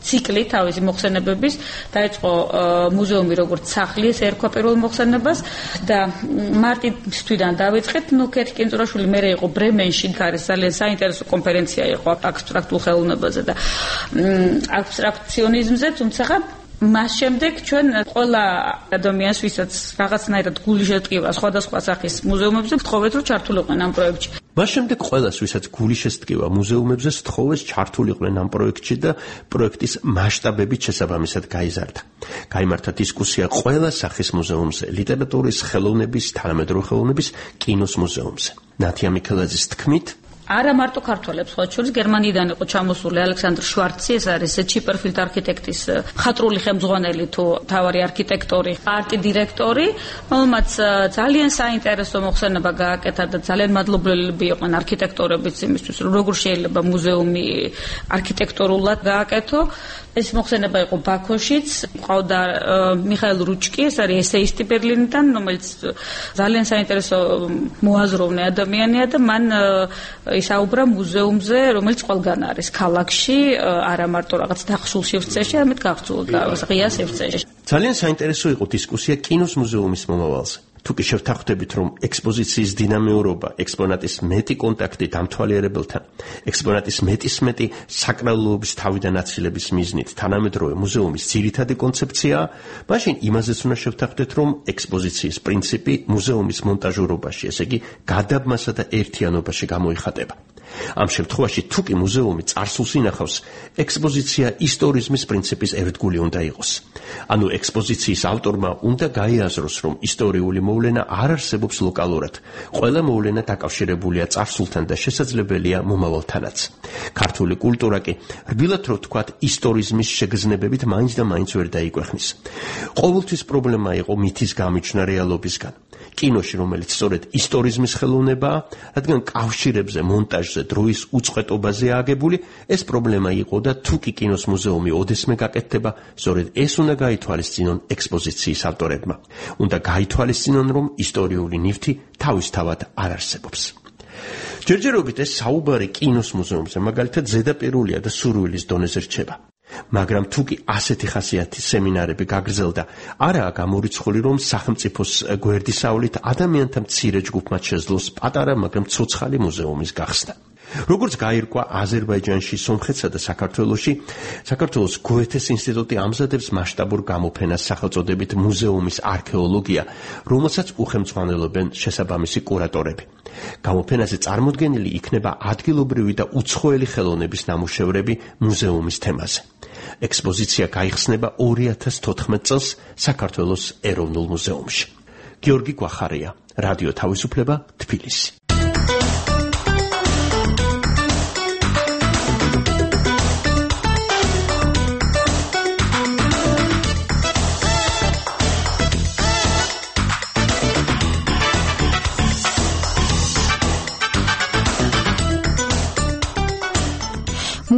ციკლი თავისი მოხსენებების, დაიწყო მუზეუმი როგორც სახლი, ეს ერქვა პირველ მოხსენებას და მარტის თვიდან დავიწყეთ. ქეთი კიმწურაშვილი მერე იყო ბრემენში, არის ძალიან საინტერესო კონფერენცია იყო აბსტრაქტულ ხელოვნებაზე და აბსტრაქციონიზმზე, თუმცა მას შემდეგ ჩვენ ყველა ადამიანს, ვისაც რაღაცნაირად გული შეტკივა სხვადასხვა სახის მუზეუმებზე, ვთხოვეთ, რომ ჩართულიყვნენ ამ პროექტში. მას შემდეგ ყველას, ვისაც გული შესტკივა მუზეუმებზე, სთხოვეს ჩართულიყვნენ ამ პროექტში და პროექტის მასშტაბებით შესაბამისად გაიზარდა. გაიმართა დისკუსია ყველა სახის მუზეუმზე, ლიტერატურის, ხელოვნების, თანამედროვე ხელოვნების, კინოს მუზეუმზე. ნათია მიქელაძის თქმით, არა მარტო ქართველებს, ხოლმე შორის გერმანიიდან იყო ჩამოსული ალექსანდრ შვარცი, ეს არის ჩიპერფილდ არქიტექტის მხატვრული ხელმძღვანელი თუ თავარი არქიტექტორი, არტ-დირექტორი, რომელმაც ძალიან საინტერესო მოხსენება გააკეთა და ძალიან მადლობლები იყვნენ არქიტექტორებიც იმისთვის, რომ როგორ შეიძლება მუზეუმი არქიტექტურულად გააკეთო. ეს მოხსენება იყო ბაქოშიც, ყავდა მიხაილ რუჩკი, ეს არის ესეისტი ბერლინიდან, რომელიც ძალიან საინტერესო მოაზროვნე ადამიანია და მან ისაუბრა მუზეუმზე, რომელიც ყველგან არის ქალაქში, არა მარტო რაღაც დახშულ სივრცეში, არამედ გახსულ და ღია სივრცეში. ძალიან საინტერესო იყო დისკუსია კინოს მუზეუმის მომავალზე. თუკი შევთანხმდებით, რომ ექსპოზიციის დინამიურობა, ექსპონატის მეტი კონტაქტი დამთვალიერებელთან, ექსპონატის მეტისმეტი საკრალობის თავიდან აცილების მიზნით თანამედროვე მუზეუმის ძირითადი კონცეფციაა, მაშინ იმაზეც უნდა შევთანხმდეთ, რომ ექსპოზიციის პრინციპი მუზეუმის მონტაჟურობაში, ესე იგი გადაბმასა და ერთიანობაში გამოიხატება. ამ შემთხვევაში თუკი მუზეუმი წარსულს ინახავს, ექსპოზიცია ისტორიზმის პრინციპის ერთგული უნდა იყოს. ანუ ექსპოზიციის ავტორმა უნდა გაიაზროს, რომ ისტორიული მოვლენა არ არსებობს ლოკალურად. ყველა მოვლენა დაკავშირებულია წარსულთან და შესაძლებელია მომავალთანაც. ქართული კულტურა კი, რბილად რო ვთქვათ, ისტორიზმის შეგრძნებებით მაინც და მაინც ვერ დაიკვეხნის. ყოველთვის პრობლემა იყო მითის გამიჩნდა რეალობისგან. კინოში, რომელიც სწორედ ისტორიზმის ხელოვნებაა, რადგან კავშირებზე, მონტაჟზე, დროის უწყვეტობაზე აგებული, ეს პრობლემა იყო და თუკი კინოს მუზეუმი ოდესმე გაკეთდება, სწორედ ეს უნდა გაითვალისწინონ ექსპოზიციის ავტორებმა. უნდა გაითვალისწინონ, რომ ისტორიული ნივთი თავისთავად არ არსებობს. ჯერჯერობით ეს საუბარი კინოს მუზეუმზე, მაგალითად, ზედაპირულია და სურვილის დონეზე რჩება. მაგრამ თუკი ასეთი ხასიათის სემინარები გაგრძელდა, არაა გამორიცხული, რომ სახელმწიფოს გვერდისავლით ადამიანთა მცირე ჯგუფმა შეძლოს პატარა, მაგრამ ცოცხალი მუზეუმის გახსნა. როგორც გაირკვა აზერბაიჯანში, სომხეთსა და საქართველოში, საქართველოს გოეთეს ინსტიტუტი ამზადებს მასშტაბურ გამოფენას სახელწოდებით მუზეუმის არქეოლოგია, რომელსაც უხელმძღვანელობენ შესაბამისი კურატორები. გამოფენაზე წარმოდგენილი იქნება ადგილობრივი და უცხოელი ხელოვნების ნამუშევრები მუზეუმის თემაზე. ექსპოზიცია გაიხსნება 2014 წელს საქართველოს ეროვნულ მუზეუმში. გიორგი გვახარია, რადიო თავისუფლება, თბილისი.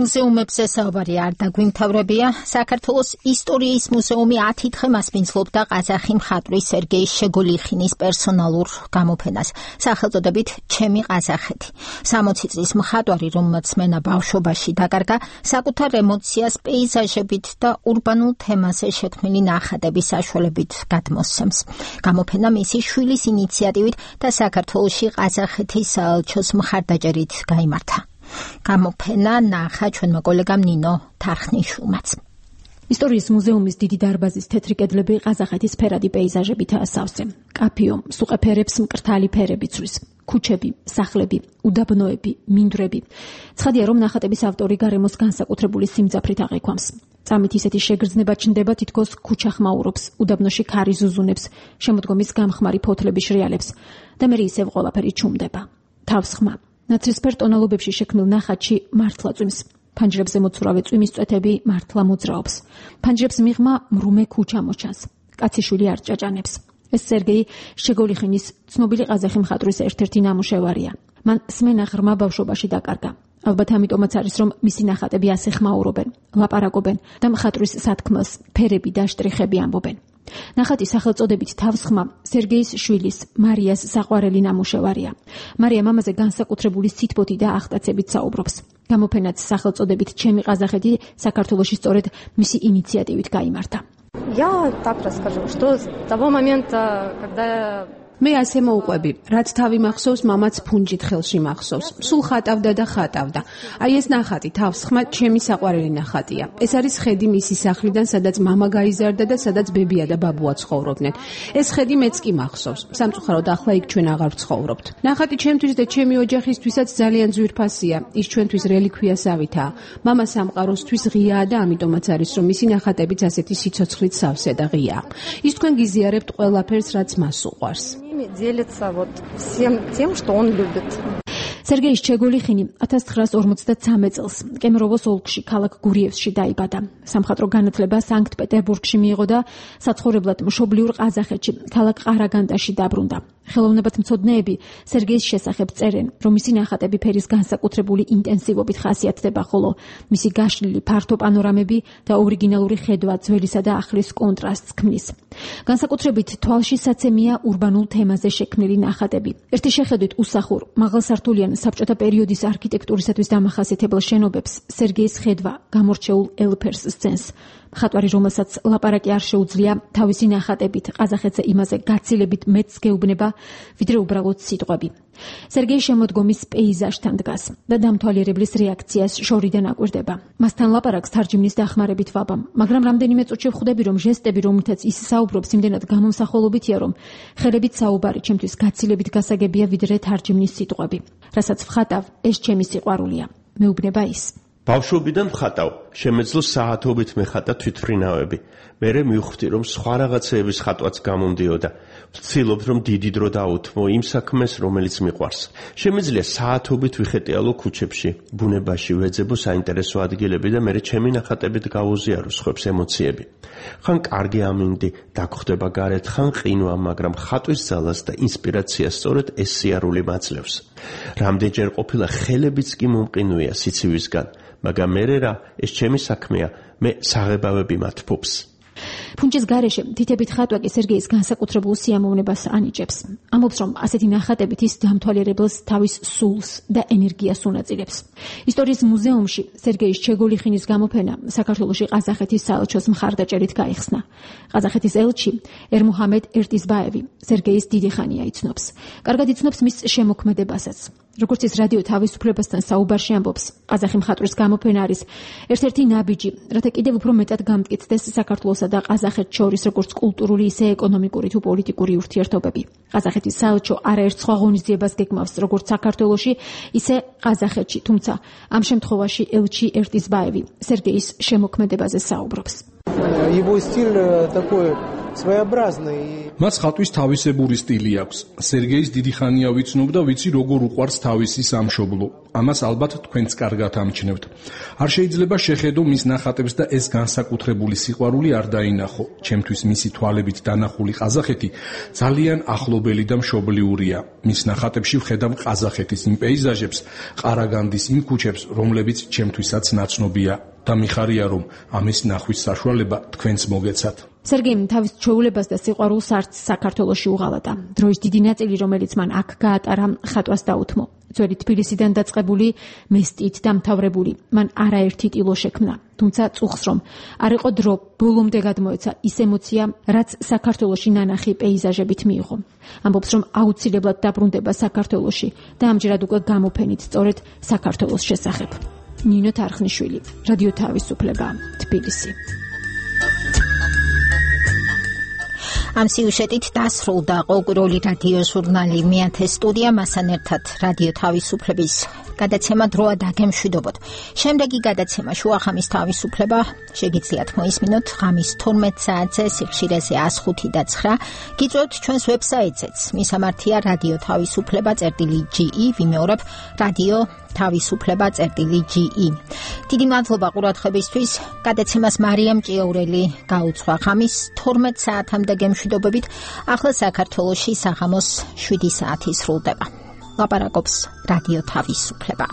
მუზეუმებზე საუბარი არ დაგვიმთავრებია. საქართველოს ისტორიის მუზეუმი 10 დღე მასპინძლობდა ყაზახი მხატვრის სერგეი შეგოლიხინის პერსონალურ გამოფენას სახელწოდებით ჩემი ყაზახეთი. 60 წლის მხატვარი, რომელმაც მენა ბავშვობაში დაკარგა, საკუთარ ემოციას პეიზაჟებით და ურბანულ თემაზე შექმნილი ნახატების საშუალებით გადმოსცემს. გამოფენა მისი შვილის ინიციატივით და საქართველოში ყაზახეთის საელჩოს მხარდაჭერით გაიმართა. გამოფენა ნახა ჩვენმა კოლეგამ ნინო თარხნიშვილმაც. ისტორიის მუზეუმის დიდი დარბაზის თეთრი კედლები ყაზახეთის ფერადი პეიზაჟებითაა სავსე. კაფიო, სუყეფერებს მკრთალი ფერები ცვლის. ქუჩები, სახლები, უდაბნოები, მინდვრები. ცხადია, რომ ნახატების ავტორი გარემოს განსაკუთრებული სიმძაფრით აღიქვამს. წამით ისეთი შეგრძნება ჩნდება, თითქოს ქუჩა ხმაურობს, უდაბნოში ქარი ზუზუნებს, შემოდგომის გამხმარი ფოთლები შრიალებს და მე ისევ ყველაფერი ჩუმდება. თავს ხმა. ნაცრისფერ ტონალობებში შექმნილ ნახატში მართლა წვიმს. ფანჯრებზე მოცურავე წვიმის წვეთები მართლა მოძრაობს. ფანჯრებს მიღმა მრუმე ქუჩა მოჩანს. კაციშვილი არ ჭაჭანებს. ეს სერგეი შეგოლიხინის ცნობილი ყაზახი მხატვრის ერთ-ერთი ნამუშევარია. მან სმენა ღრმა ბავშვობაში დაკარგა. ალბათ ამიტომაც არის, რომ მისი ნახატები ასე ხმაურობენ, ლაპარაკობენ და მხატვრის სათქმელს ფერები და შტრიხები ამბობენ. ნახატის სახელწოდებით თავს ხმა სერგეის შვილის მარიას საყვარელი ნამუშევარია. მარია მამაზე განსაკუთრებული სითბოთი და აღტაცებით საუბრობს. გამოფენაც სახელწოდებით ჩემი ყაზახეთი საქართველოში სწორედ მისი ინიციატივით გაიმართა. Я так расскажу, что с того момента, когда მე ასე მოუყვები, რაც თავი მახსოვს, მამაც ფუნჯით ხელში მახსოვს. სულ ხატავდა და ხატავდა. აი ეს ნახატი თავს ხმა ჩემი საყვარელი ნახატია. ეს არის ხედი მისი სახლიდან, სადაც მამა გაიზარდა და სადაც ბებია და ბაბუა ცხოვრობდნენ. ეს ხედი მეც კი მახსოვს. სამწუხაროდ ახლა იქ ჩვენ აღარ ვცხოვრობთ. ნახატი ჩემთვის და ჩემი ოჯახისთვისაც ძალიან ძვირფასია. ის ჩვენთვის რელიქვიასავითაა. მამა სამყაროსთვის ღიაა და ამიტომაც არის, რომ მისი ნახატებიც ასეთი სიცოცხლით სავსე და ღიაა. ის თქვენ გიზიარებთ ყველაფერს, რაც მას უყვარს. делится вот всем тем, что он любит. სერგეი შეგოლიხინი 1953 წელს კემეროვოს ოლქში ქალაქ გურიევსში დაიბადა. სამხატვრო განათლება სანქტ-პეტერბურგში მიიღო და საცხოვრებლად მშობლიურ ყაზახეთში ქალაქ ყარაგანდაში დაბრუნდა. ხელოვნებათმცოდნეები სერგეის შესახებ წერენ, რომ მისი ნახატები ფერის განსაკუთრებული ინტენსივობით ხასიათდება, ხოლო მისი გაშლილი ფართო პანორამები და ორიგინალური ხედვა ძველისა და ახლის კონტრასტს ქმნის. განსაკუთრებით თვალშისაცემია ურბანულ თემაზე შექმნილი ნახატები. ერთი შეხედვით უსახურ, მაღალსართულიან საბჭოთა პერიოდის არქიტექტურისათვის დამახასიათებელ შენობებს სერგეის ხედვა გამორჩეულ ელფერს სცენს. მხატვარი, რომელსაც ლაპარაკი არ შეუძლია, თავისი ნახატებით ყაზახეთზე იმაზე გაცილებით მეც გეუბნება, ვიდრე უბრალოდ სიტყვები. სერგეი შემოდგომის პეიზაჟთან დგას და დამთვალიერებლის რეაქციას შორიდან აკვირდება. მასთან ლაპარაკს თარჯიმნის დახმარებით ვაბამ, მაგრამ რამდენიმე წუთში ვხვდები, რომ ჟესტები, რომლითაც ის საუბრობს, იმდენად გამომსახველობითია, რომ ხელებით საუბარი ჩემთვის გაცილებით გასაგებია, ვიდრე თარჯიმნის სიტყვები. რასაც ვხატავ, ეს ჩემი სიყვარულია. მეუბნება ის. ბავშვობიდან ხატავ, შემეძლო საათობით მეხატა თვითმფრინავები. მერე მივხვდი, რომ სხვა რაღაცეების ხატვაც გამომდიოდა. ვცდილობ, რომ დიდი დრო დაუთმო იმ საქმეს, რომელიც მიყვარს. შემეძლია საათობით ვიხეტიალო ქუჩებში, ბუნებაში, ვეძებო საინტერესო ადგილები და მერე ჩემი ნახატებით გავუზიარო სხვებს ემოციები. ხან კარგი ამინდი, დაგხვდება გარეთ, ხან ყინვა, მაგრამ ხატვის ძალას და ინსპირაციას სწორედ ეს სიარული მაძლევს. რამდენჯერ ყოფილა ხელებიც კი მომყინვია სიცივისგან, მაგრამ მერე რა, ეს ჩემი საქმეა, მე საღებავები მათფობს. ფუნჯის გარეშე თითებით ხატვა კი სერგეის განსაკუთრებულ სიამოვნებას ანიჭებს. ამბობს, რომ ასეთი ნახატებით ის დამთვალიერებელს თავის სულს და ენერგიას უნაწილებს. ისტორიის მუზეუმში სერგეის შეგოლიხინის გამოფენა საქართველოში ყაზახეთის საელჩოს მხარდაჭერით გაიხსნა. ყაზახეთის ელჩი ერმუჰამედ ერტიზბაევი სერგეის დიდი ხანია იცნობს. კარგად იცნობს მის შემოქმედებასაც. როგორც ის რადიო თავისუფლებასთან საუბარში ამბობს, ყაზახი მხატვრის გამოფენა არის ერთ-ერთი ნაბიჯი, რათა კიდევ უფრო მეტად გამტკიცდეს საქართველოსა და ყაზახეთს შორის როგორც კულტურული, ისე ეკონომიკური თუ პოლიტიკური ურთიერთობები. ყაზახეთის საელჩო არაერთ სხვა ღონისძიებას გეგმავს, როგორც საქართველოში, ისე ყაზახეთში, თუმცა ამ შემთხვევაში ელჩი ერტიზბაევი სერგეის შემოქმედებაზე საუბრობს. Его стиль такой своеобразный. მას ხატვის თავისებური სტილი აქვს. სერგეის დიდი ხანია ვიცნობ და ვიცი როგორ უყვარს თავისი სამშობლო. ამას ალბათ თქვენც კარგად ამჩნევთ. არ შეიძლება შეხედო მის ნახატებს და ეს განსაკუთრებული სიყვარული არ დაინახო. ჩემთვის მისი თვალებით დანახული ყაზახეთი ძალიან ახლობელი და მშობლიურია. მის ნახატებში ვხედავ ყაზახეთის იმ პეიზაჟებს, ყარაგანდის იმ ქუჩებს, რომლებიც ჩემთვისაც ნაცნობია და მიხარია რომ ამის ნახვის საშუალება თქვენც მოგეცათ. სერგეიმ თავის ჩვეულებას და სიყვარულს არც საქართველოში უღალატა. დროის დიდი ნაწილი, რომელიც მან აქ გაატარა, ხატვას დაუთმო. ძველი თბილისიდან დაწყებული, მესტით დამთავრებული, მან არაერთი ტილო შექმნა. თუმცა წუხს რომ არ იყო დრო, ბოლომდე გადმოეცა ის ემოცია, რაც საქართველოში ნანახი პეიზაჟებით მიიღო. ამბობს, რომ აუცილებლად დაბრუნდება საქართველოში და ამჯერად უკვე გამოფენით სწორედ საქართველოს შესახებ. ნინო თარხნიშვილი, რადიო თავისუფლება, თბილისი. ამ სიუჟეტით დასრულდა ყოველკვირეული რადიო ჟურნალი მეათე სტუდია, მასთან ერთად რადიო თავისუფლების გადაცემა დროა დაგემშვიდობოთ. შემდეგი გადაცემა შუახამის თავისუფლება შეგიძლიათ მოისმინოთ ღამის 12 საათზე სიხშირეზე 105 და 9. გიწვევთ ჩვენს ვებსაიტზეც. მისამართია რადიო თავისუფლება.ge, ვიმეორებ რადიო თავისუფლება.ge. დიდი მადლობა ყურადღებისთვის. გადაცემას მარიამ ჭიაურელი გაუძღვა ღამის 12 საათამდე გემშვიდობებით. ახლა საქართველოში საღამოს 7 საათი სრულდება. ლაპარაკობს რადიო თავისუფლება.